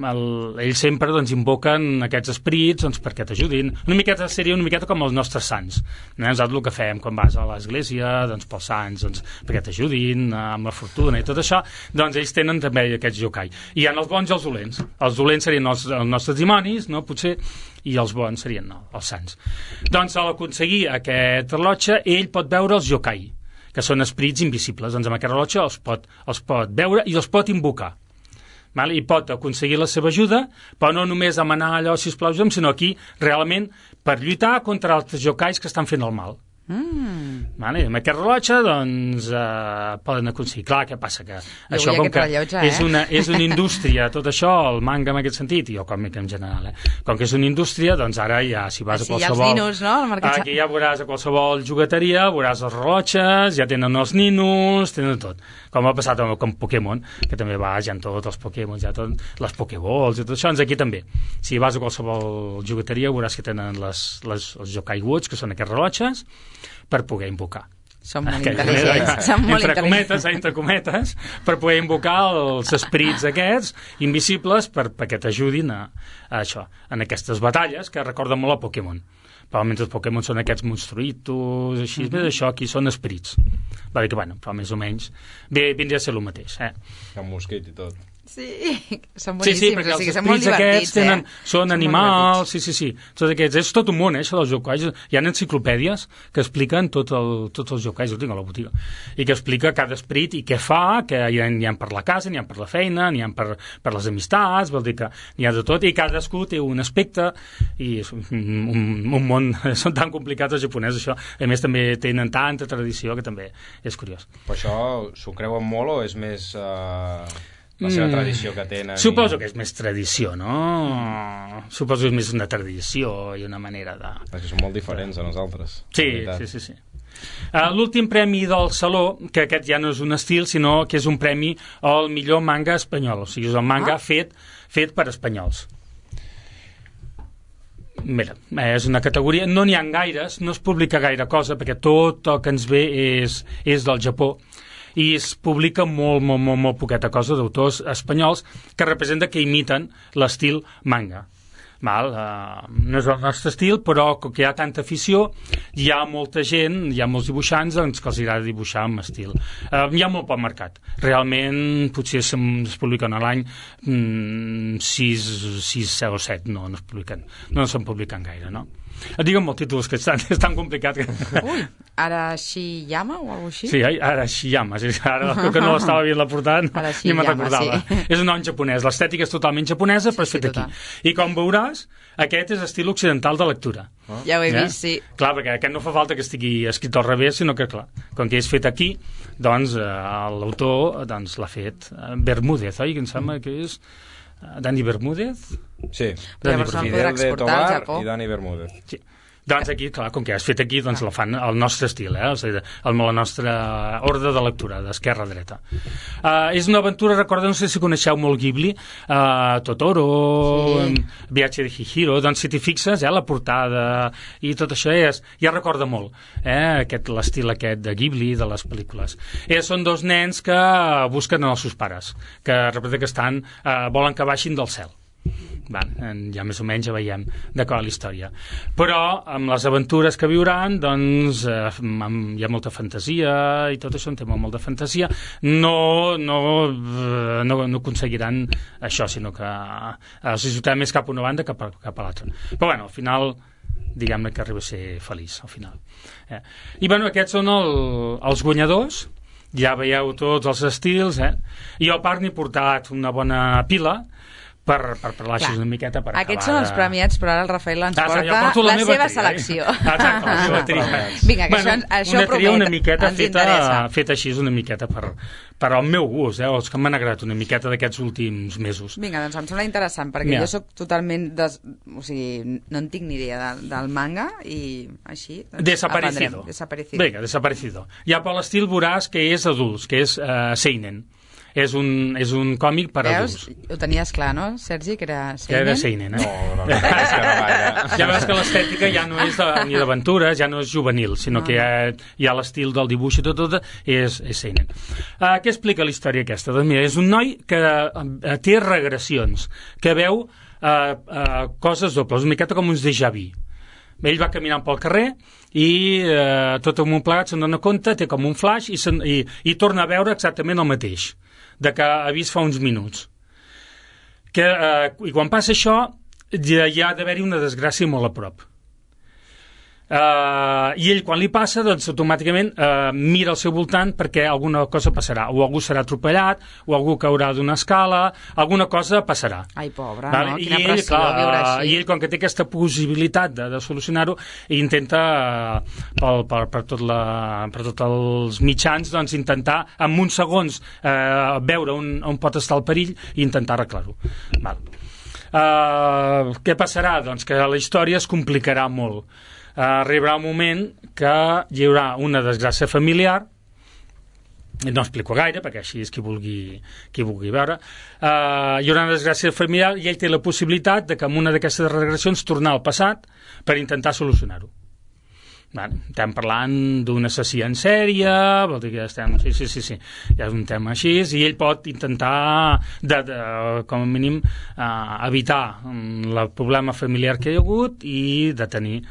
Ells sempre invoquen aquests esperits perquè t'ajudin. Seria una miqueta com els nostres sants. Nosaltres el que fem quan vas a l'església pels sants, perquè t'ajudin amb la fortuna i tot això, doncs ells tenen també aquests yokai. I hi ha els bons i els dolents. Els dolents serien els nostres dimonis, no? Potser, i els bons serien els sants. Doncs a l'aconseguir aquest rellotge, ell pot veure els yokai, que són esperits invisibles. Doncs amb aquest rellotge els pot veure i els pot invocar. I pot aconseguir la seva ajuda, però no només demanar allò, sisplau, sinó aquí realment per lluitar contra els yokais que estan fent el mal. Amb aquest rellotge poden aconseguir. Clar, què passa? Que això com que és una indústria, tot això, el manga en aquest sentit i el còmic en general, com que és una indústria, doncs ara ja si vas a qualsevol aquí ja veuràs a qualsevol jugueteria, veuràs els rellotges, ja tenen els ninos, tenen tot, com ha passat amb Pokémon, que també ja han tots els Pokémon, ja tot, les Pokéballs i tot això. Doncs aquí també, si vas a qualsevol jugueteria veuràs que tenen els Yokai Watch, que són aquests rellotges, per poder invocar. Són molt intel·ligents. Entre cometes, per poder invocar els esperits aquests invisibles perquè t'ajudin a això, en aquestes batalles que recorden molt a Pokémon. però mentre els Pokémon són aquests monstruïtos, així, més això aquí són esperits. Va dir que, bueno, però més o menys vindria a ser el mateix. Un mosquit i tot. Sí, són boníssims, perquè o sigui, els són molt esperits divertits, són animals, sí. Tots aquests, és tot un món, això dels yokai. Hi ha enciclopèdies que expliquen tots els yokai, jo tinc a la botiga, i que explica cada esperit i què fa, que n'hi ha per la casa, n'hi ha per la feina, n'hi ha per les amistats, vol dir que n'hi ha de tot, i cadascú té un aspecte, i és un món, són tan complicats els japonesos, això. A més, també tenen tanta tradició que també és curiós. Però això s'ho creuen molt o és més... la seva tradició que tenen... Suposo que és més tradició, no? Suposo que és més una tradició i una manera de... És que són molt diferents a nosaltres. Sí. L'últim premi del Saló, que aquest ja no és un estil, sinó que és un premi al millor manga espanyol, o sigui, és el manga fet per espanyols. Mira, és una categoria... No n'hi ha gaires, no es publica gaire cosa, perquè tot el que ens ve és del Japó, i es publica molt poqueta cosa d'autors espanyols que representa que imiten l'estil manga. No és el nostre estil, però com que hi ha tanta afició, hi ha molta gent, hi ha molts dibuixants doncs, que els agrada dibuixar amb estil. Hi ha molt poc mercat. Realment, potser es publiquen a l'any 6 o 7, no es publiquen. No se'n publiquen gaire, no? Digue'm els títols, que és tan complicat que... Ui, Arashiyama o alguna cosa així? Sí, Arashiyama, ara que no l'estava veient la portada ni me'n recordava. Sí. És un nom japonès, l'estètica és totalment japonesa, però és fet aquí. I com veuràs, aquest és estil occidental de lectura. Ja ho he vist, sí. Clar, perquè aquest no fa falta que estigui escrit al revés, sinó que, clar, com que és fet aquí, doncs l'autor l'ha fet Bermúdez, oi? Que em sembla que és... Dani Bermúdez? Sí, Fidel de Tobar i Dani Bermúdez. Sí. Doncs aquí, clar, com que has fet aquí, doncs la fan al nostre estil, o sigui, la nostra ordre de lectura, d'esquerra a dreta. És una aventura, recorda, no sé si coneixeu molt Ghibli, Totoro, Viatge de Chihiro, doncs si t'hi fixes, la portada i tot això ja recorda molt, l'estil aquest de Ghibli, de les pel·lícules. Són dos nens que busquen els seus pares, que representa que volen que baixin del cel. Ja més o menys ja veiem de qual la història, però amb les aventures que viuran doncs hi ha molta fantasia i tot això, un tema molt de fantasia, no aconseguiran això, sinó que els ajudarà més cap a una banda que cap a l'altra, però bueno, al final diguem-ne que arriba a ser feliç al final. I bueno, aquests són els guanyadors, ja veieu tots els estils, i jo a part n'he portat una bona pila per parlar així una miqueta per acabar. Aquests són els premiats, però ara el Rafael ens porta la seva selecció. Exacte, la seva tria. Vinga, que això promet, una miqueta ens interessa. Feta així, una miqueta per al meu gust, els que m'han agradat una miqueta d'aquests últims mesos. Vinga, doncs em sembla interessant, perquè jo soc totalment... O sigui, no en tinc ni idea del manga, i així Desaparecido. Vinga, Desaparecido. Ja per l'estil veuràs que és adults, que és seinen. És un còmic per adults. Ho tenies clar, no, Sergi, que era seinen? Que era seinen, No, és que no gaire. Ja veus que l'estètica ja no és ni d'aventures, ja no és juvenil, sinó que hi ha l'estil del dibuix i tot és seinen. Què explica la història aquesta? Doncs mira, és un noi que té regressions, que veu coses dobles, una miqueta com uns déjà vu. Ell va caminant pel carrer i tot en un plegat se'n dona compte, té com un flash i torna a veure exactament el mateix de que ha vist fa uns minuts. I quan passa això hi ha d'haver-hi una desgràcia molt a prop. I ell quan li passa doncs automàticament mira al seu voltant perquè alguna cosa passarà, o algú serà atropellat o algú caurà d'una escala, alguna cosa passarà. Ai, pobre, no? Quina pressió viure així. I ell, com que té aquesta possibilitat de solucionar-ho, intenta per tots els mitjans doncs intentar en uns segons veure on pot estar el perill i intentar arreglar-ho. Què passarà? Doncs que la història es complicarà molt. Arribarà un moment que hi haurà una desgràcia familiar, no explico gaire perquè així és qui vulgui veure, hi haurà una desgràcia familiar i ell té la possibilitat de que amb una d'aquestes regressions tornar al passat per intentar solucionar-ho. Estem parlant d'un assassí en sèrie, vol dir que estem... Sí, ja és un tema així, i ell pot intentar, com a mínim, evitar el problema familiar que hi ha hagut i detenir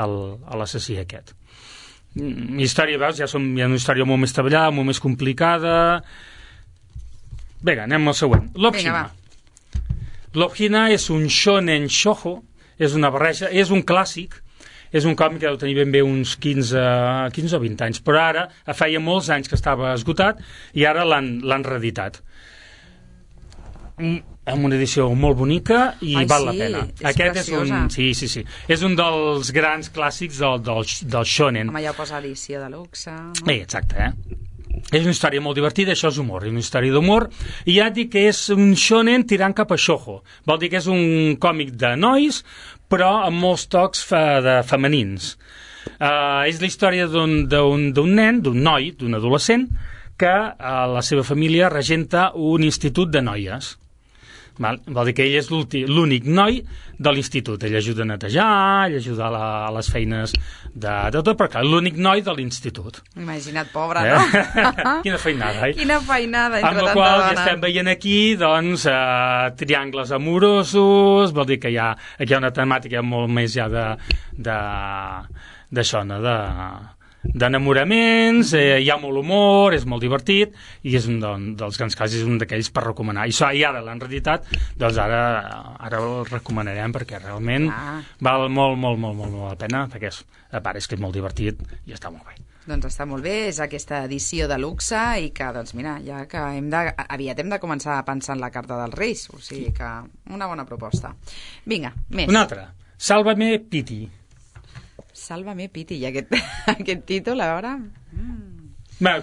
l'assassí aquest. Història, veus, hi ha una història molt més treballada, molt més complicada. Vinga, anem al següent. Love Hina és un shonen shoujo, és una barreja, és un clàssic, és un còmic que deu tenir ben bé uns 15 o 20 anys, però ara feia molts anys que estava esgotat i ara l'han reeditat. Amb una edició molt bonica i val la pena. Aquest preciosa. Sí. És un dels grans clàssics del shonen. Home, ja ho posa edició de luxe. No? Exacte, És una història molt divertida, això és humor, és una història d'humor, i ja et dic que és un shonen tirant cap a shoujo. Vol dir que és un còmic de nois, però amb molts tocs femenins. És la història d'un nen, d'un noi, d'un adolescent, que la seva família regenta un institut de noies. Vol dir que ell és l'únic noi de l'institut. Ell ajuda a netejar, ell ajuda a les feines de tot, però clar, l'únic noi de l'institut. Imagina't, pobre, no? Quina feinada, Quina feinada entre tanta dona. Amb la qual ja estem veient aquí, doncs, triangles amorosos, vol dir que aquí hi ha una temàtica molt més ja d'això, no?, d'enamoraments, hi ha molt humor, és molt divertit i és un dels grans casos, és un d'aquells per recomanar, i ara l'han reeditat, doncs ara el recomanarem perquè realment val molt la pena, perquè a part és que és molt divertit i està molt bé. Doncs està molt bé, és aquesta edició de luxe i que, doncs mira, ja que aviat hem de començar a pensar en la carta dels Reis, o sigui que una bona proposta. Vinga, més. Una altra, Sálvame Piti. Sálvame Piti, i aquest títol, a veure...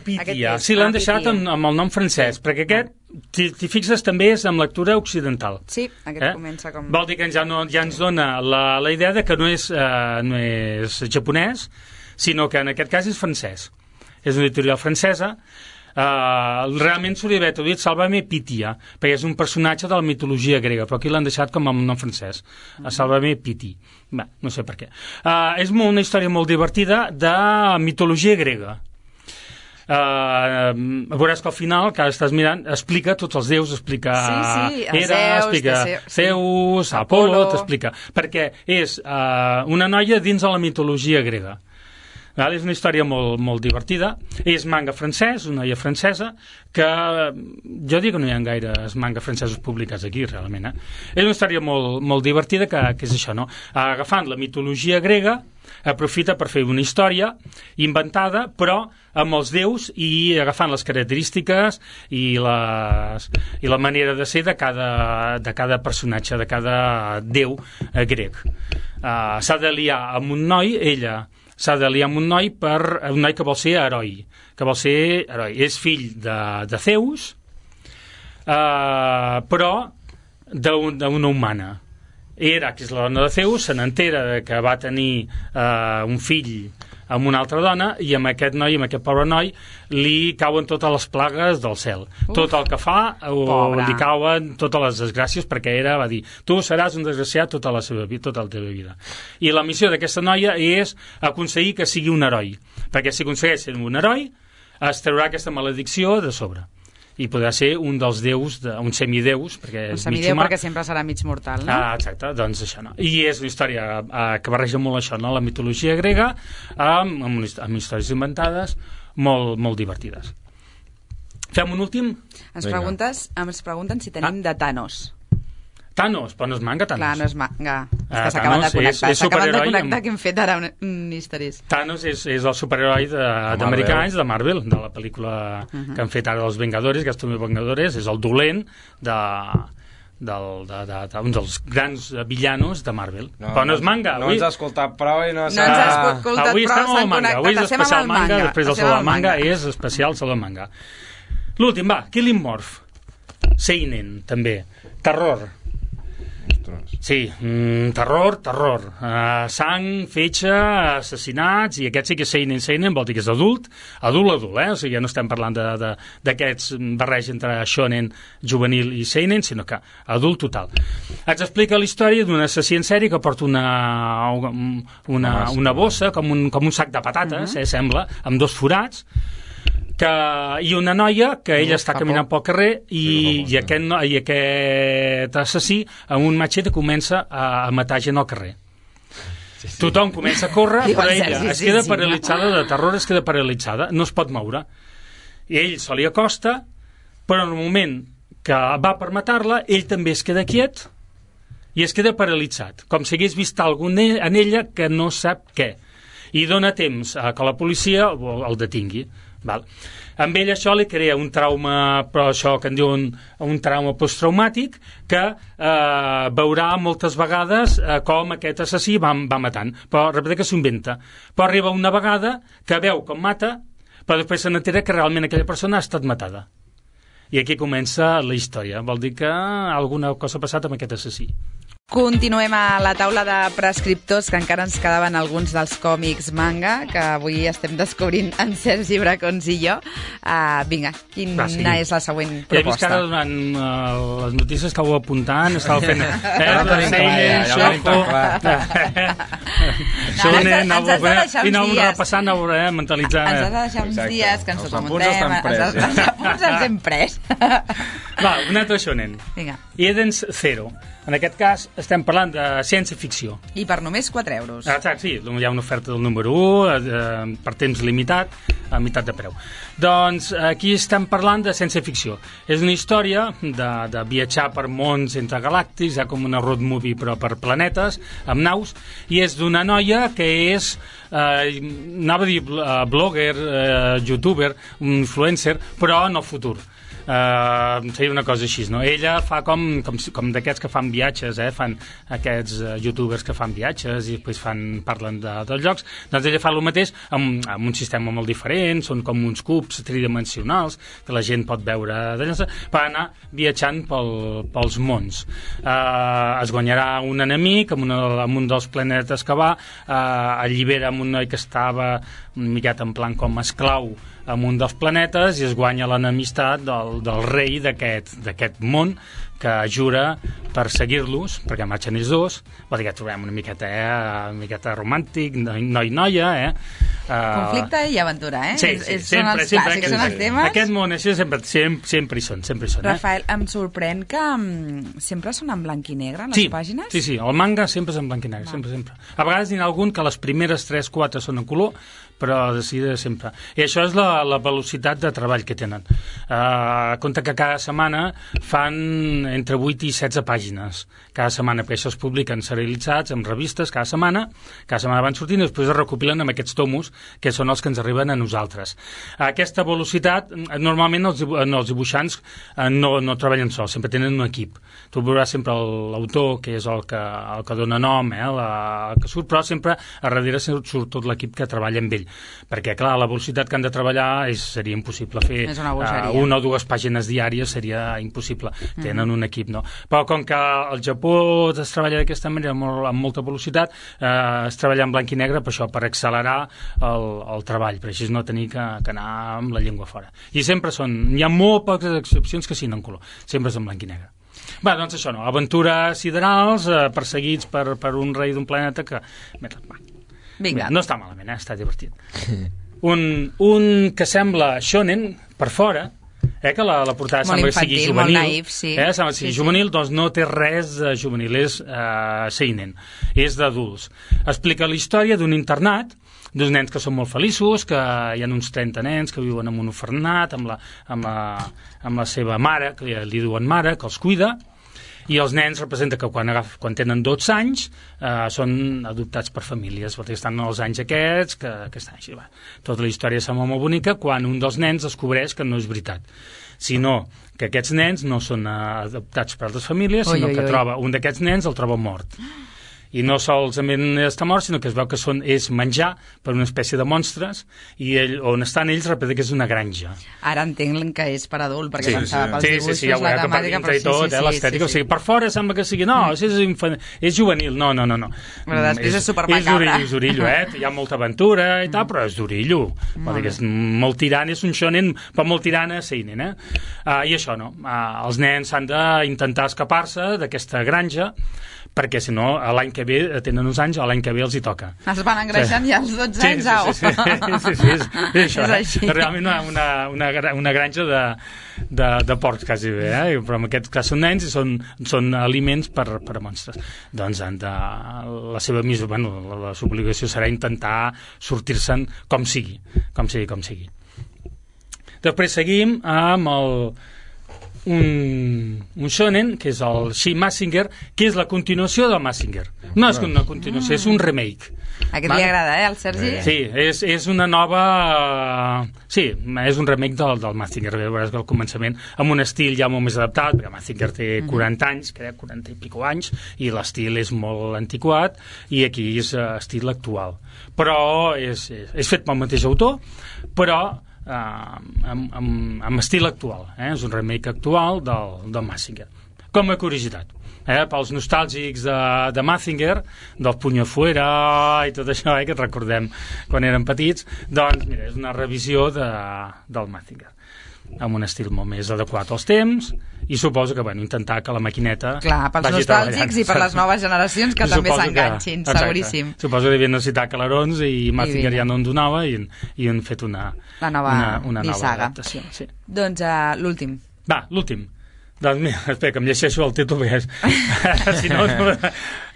Piti, sí, l'han deixat amb el nom francès, perquè aquest, t'hi fixes, també és amb lectura occidental. Sí, aquest comença com... Vol dir que ja ens dona la idea de que no és japonès, sinó que en aquest cas és francès. És una editorial francesa. Realment s'hauria d'haver traduït Sálvame Pitia, perquè és un personatge de la mitologia grega, però aquí l'han deixat com amb nom francès, Sálvame Piti. No sé per què. És una història molt divertida de mitologia grega. Veuràs que al final, que estàs mirant, explica tots els déus, explica Hera, explica Zeus, Apolo, t'explica, perquè és una noia dins de la mitologia grega. És una història molt divertida. És manga francès, una noia francesa, que jo dic que no hi ha gaires manga francesos publicats aquí, realment. És una història molt divertida, que és això, no? Agafant la mitologia grega, aprofita per fer una història inventada, però amb els déus i agafant les característiques i la manera de ser de cada personatge, de cada déu grec. S'ha de liar amb un noi, ella s'ha de liar amb un noi que vol ser heroi, és fill de Zeus, però d'una humana. Hera, que és la dona de Zeus, se n'entera que va tenir un fill amb una altra dona, i amb aquest pobre noi, li cauen totes les plagues del cel. Tot el que fa, li cauen totes les desgràcies, perquè Hera va dir, tu seràs un desgraciat tota la teva vida. I la missió d'aquesta noia és aconseguir que sigui un heroi, perquè si aconsegueix ser un heroi, es traurà aquesta maledicció de sobre. I podrà ser un dels déus, un semideus, perquè és mig humà. Perquè sempre serà mig mortal, no? Exacte, doncs això, no? I és una història que barreja molt això, no? La mitologia grega, amb històries inventades, molt divertides. Fem un últim? Ens pregunten si tenim de Thanos. Thanos, però no és manga, Thanos. Clar, no és manga. S'acaben de connectar. S'acaben de connectar que hem fet ara un historis. Thanos és el superheroi d'americans, de Marvel, de la pel·lícula que han fet ara dels Vengadores, que és Vengadores, és el dolent d'un dels grans villanos de Marvel. Però no és manga. No ens ha escoltat prou i no s'ha... No ens ha escoltat prou, avui estem al manga. Avui és especial manga, després del Saló del Manga és especial Saló del Manga. L'últim, Killing Morph. Seinen, també. Terror. Sí, terror, sang, fetge, assassinats, i aquest sí que és seinen, vol dir que és adult, o sigui, no estem parlant d'aquests barreig entre shonen juvenil i seinen, sinó que adult total. Ens explica la història d'un assassí en sèrie que porta una bossa, com un sac de patates, sembla, amb 2 forats, i una noia que ella està caminant pel carrer i aquest assassí amb un matxet comença a matar gent al carrer. Tothom comença a córrer, però ella es queda paralitzada de terror, es queda paralitzada, no es pot moure. I ell se li acosta, però en el moment que va per matar-la, ell també es queda quiet i es queda paralitzat, com si hagués vist alguna en ella que no sap què. I dona temps a que la policia el detingui. Val. Amb ell això li crea un trauma, però això que en diuen un trauma posttraumàtic, que veurà moltes vegades com aquest assassí va matant, però repeteix que s'ho inventa. Però arriba una vegada que veu com mata, però després se n'entera que realment aquella persona ha estat matada. I aquí comença la història. Vol dir que alguna cosa ha passat amb aquest assassí. Continuem a la taula de prescriptors, que encara ens quedaven alguns dels còmics manga, que avui estem descobrint en Sergi Bracons i jo. Vinga, quina és la següent proposta? Ja he vist que ara durant les notícies que ho apuntant, estava fent... I anàvem repassant, mentalitzant... Ens has de deixar uns dies que ens ho apuntem. Els apunts ens hem pres. Va, un altre shonen. Eden's Zero. En aquest cas estem parlant de ciència-ficció. I per només 4 euros. Sí, hi ha una oferta del número 1 per temps limitat, a meitat de preu. Doncs aquí estem parlant de ciència-ficció. És una història de viatjar per mons entre galàctics, com una road movie però per planetes, amb naus, i és d'una noia que és, anava a dir blogger, youtuber, un influencer, però en el futur. Seria una cosa així, no? Ella fa com d'aquests que fan viatges, fan aquests youtubers que fan viatges i després parlen dels llocs. Doncs ella fa el mateix amb un sistema molt diferent, són com uns cubs tridimensionals que la gent pot veure d'allà, per anar viatjant pels mons. Es guanyarà un enemic amb un dels planetes que va, allibera amb un noi que estava una miqueta en plan com esclau amb un dels planetes i es guanya l'enemistat del rei d'aquest món, que jura per seguir-los, perquè marxen ells dos. Vol dir que trobem una miqueta romàntic, noi-noia, conflicte i aventura, Sí, són els clàssics, són els temes. Aquest món així sempre hi són. Rafael, em sorprèn que sempre són en blanc i negre, les pàgines? Sí, el manga sempre és en blanc i negre, sempre. A vegades n'hi ha algun que les primeres 3-4 són en color, però decidida sempre. I això és la velocitat de treball que tenen. Compte que cada setmana fan entre 8 i 16 pàgines. Cada setmana, perquè això es publiquen serialitzats en revistes cada setmana van sortint i després es recopilen amb aquests tomos, que són els que ens arriben a nosaltres. Aquesta velocitat, normalment els dibuixants no treballen sols, sempre tenen un equip. Tu veuràs sempre l'autor, que és el que dona nom, el que surt, però sempre a darrere surt tot l'equip que treballa amb ell. Perquè, clar, la velocitat que han de treballar seria impossible fer. Una o dues pàgines diàries seria impossible. Tenen un equip, no? Però com que al Japó es treballa d'aquesta manera amb molta velocitat, es treballa en blanc i negre per això, per accelerar el treball, per així no tenir que anar amb la llengua fora. I sempre hi ha molt poques excepcions que siguin en color. Sempre és en blanc i negre. Va, doncs això no, aventures siderals, perseguits per un rei d'un planeta que... Vinga. No està malament, està divertit. Un que sembla shonen per fora, que la portada sembla que sigui juvenil, molt naïf, sí. Sembla que sigui juvenil, doncs no té res de juvenil, és seinen, és d'adults. Explica la història d'un internat, d'uns nens que són molt feliços, que hi ha uns 30 nens que viuen en un orfenat amb la seva mare, que li diuen mare, que els cuida, i els nens representa que quan tenen 12 anys són adoptats per famílies, perquè estan els anys aquests que estan així. Tota la història sembla molt bonica quan un dels nens descobreix que no és veritat, sinó que aquests nens no són adoptats per altres famílies, sinó que un d'aquests nens el troba mort. I no solament està mort, sinó que es veu que és menjar per una espècie de monstres, i on estan ells repeteix que és una granja. Ara entenc que és per adult, perquè pensava pels dibuixos, ja la temàtica, però l'estètica, o sigui, per fora sembla que sigui, no, és juvenil, no. Però després és supermacabra. És d'orillo, hi ha molta aventura i tal, però és d'orillo. Vol dir que és molt tirant, és un shonen, però molt tirant a seinen, I això, no, els nens han d'intentar escapar-se d'aquesta granja, perquè si no l'any que ve tenen uns anys o l'any que ve els hi toca. Es van engreixant ja als 12 anys, au. Sí, és això. És així. Realment una granja de porcs, quasi bé, però en aquest cas són nens i són aliments per a monstres. Doncs la seva missió, la seva obligació serà intentar sortir-se'n com sigui. Després seguim amb un shonen, que és el She Mazinger, que és la continuació del Mazinger. No és una continuació, és un remake. Aquest li agrada, al Sergi? Sí, és una nova... Sí, és un remake del Mazinger. Veuràs que al començament, amb un estil ja molt més adaptat, perquè Mazinger té 40 anys, crec, 40 i pico anys, i l'estil és molt antiquat, i aquí és estil actual. Però és fet pel mateix autor, però amb estil actual, és un remake actual del Mazinger. Com a curiositat, pels nostàlgics de Mazinger, del Puño Fuera i tot això, que recordem quan érem petits, doncs mira, és una revisió del Mazinger, amb un estil molt més adequat als temps, i suposo que intentar que la maquineta clar, pels nostàlgics i per les noves generacions que també s'enganxin, seguríssim. Suposo que devien necessitar calarons i Mazinger ja no en donava i han fet una nova adaptació. Sí. Doncs l'últim. Va, l'últim. Doncs mira, espera, que em llegeixo el títol perquè si no...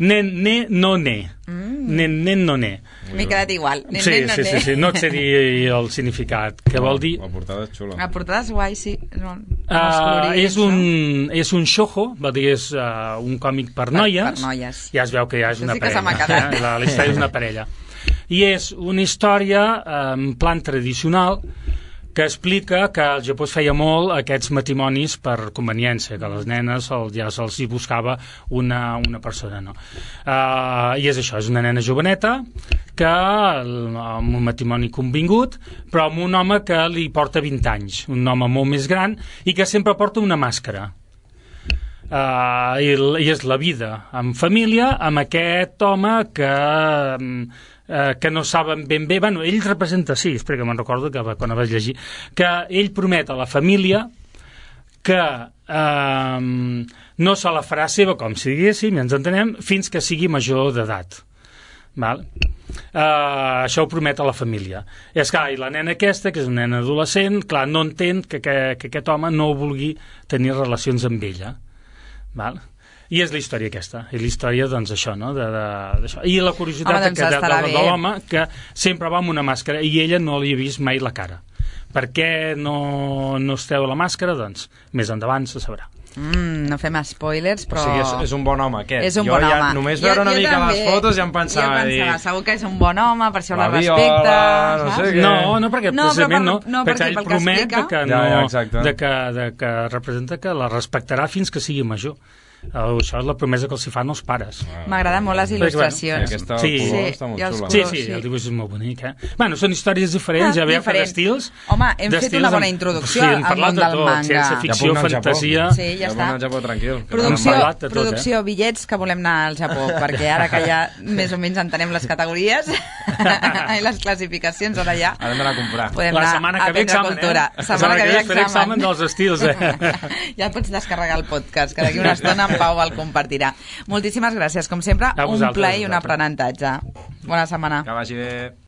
Nen no ne. Nen no ne. M'he quedat igual. Sí, no et sé dir el significat. Què vol dir? La portada és xula. La portada és guai, sí. És un shoujo, vol dir, és un còmic per noies. Per noies. Ja es veu que ja és una parella. Sí que se m'ha quedat. La història és una parella. I és una història en plan tradicional que explica que al Japó es feia molt aquests matrimonis per conveniència, que les nenes ja se'ls hi buscava una persona, no? I és això, és una nena joveneta que amb un matrimoni convingut, però amb un home que li porta 20 anys, un home molt més gran i que sempre porta una màscara. I és la vida en família amb aquest home que no saben ben bé, ell representa, sí, espera que me'n recordo que quan el vaig llegir, que ell promet a la família que no se la farà seva, com si diguéssim, ja ens entenem, fins que sigui major d'edat. Això ho promet a la família. I és clar, i la nena aquesta, que és una nena adolescent, clar, no entén que aquest home no vulgui tenir relacions amb ella. I és la història aquesta, i la història, doncs, això, no? I la curiositat de l'home, que sempre va amb una màscara, i ella no li ha vist mai la cara. Per què no es treu la màscara? Doncs, més endavant se sabrà. No fem spoilers, però... O sigui, és un bon home, aquest. És un bon home. Només veure una mica les fotos ja em pensava... Segur que és un bon home, per això la respecta... no sé què... No, perquè precisament no, perquè ell promet que representa que la respectarà fins que sigui major. Això és la promesa que els hi fan els pares. M'agraden molt les il·lustracions. Aquesta color està molt xula. Sí, el dibuix és molt bonic. Bueno, són històries diferents, ja veiem per estils. Home, hem fet una bona introducció al món del manga. Ciència-ficció, fantasia... Sí, ja està. Japó, tranquil. Producció, bitllets que volem anar al Japó, perquè ara que ja més o menys entenem les categories i les classificacions, ara ja... Ara hem d'anar a comprar. Podem anar a aprendre cultura. Setmana que ve faré examen dels estils. Ja pots descarregar el podcast, que d'aquí una estona en Pau el compartirà. Moltíssimes gràcies, com sempre, un plaer i un aprenentatge. Bona setmana. Que vagi bé.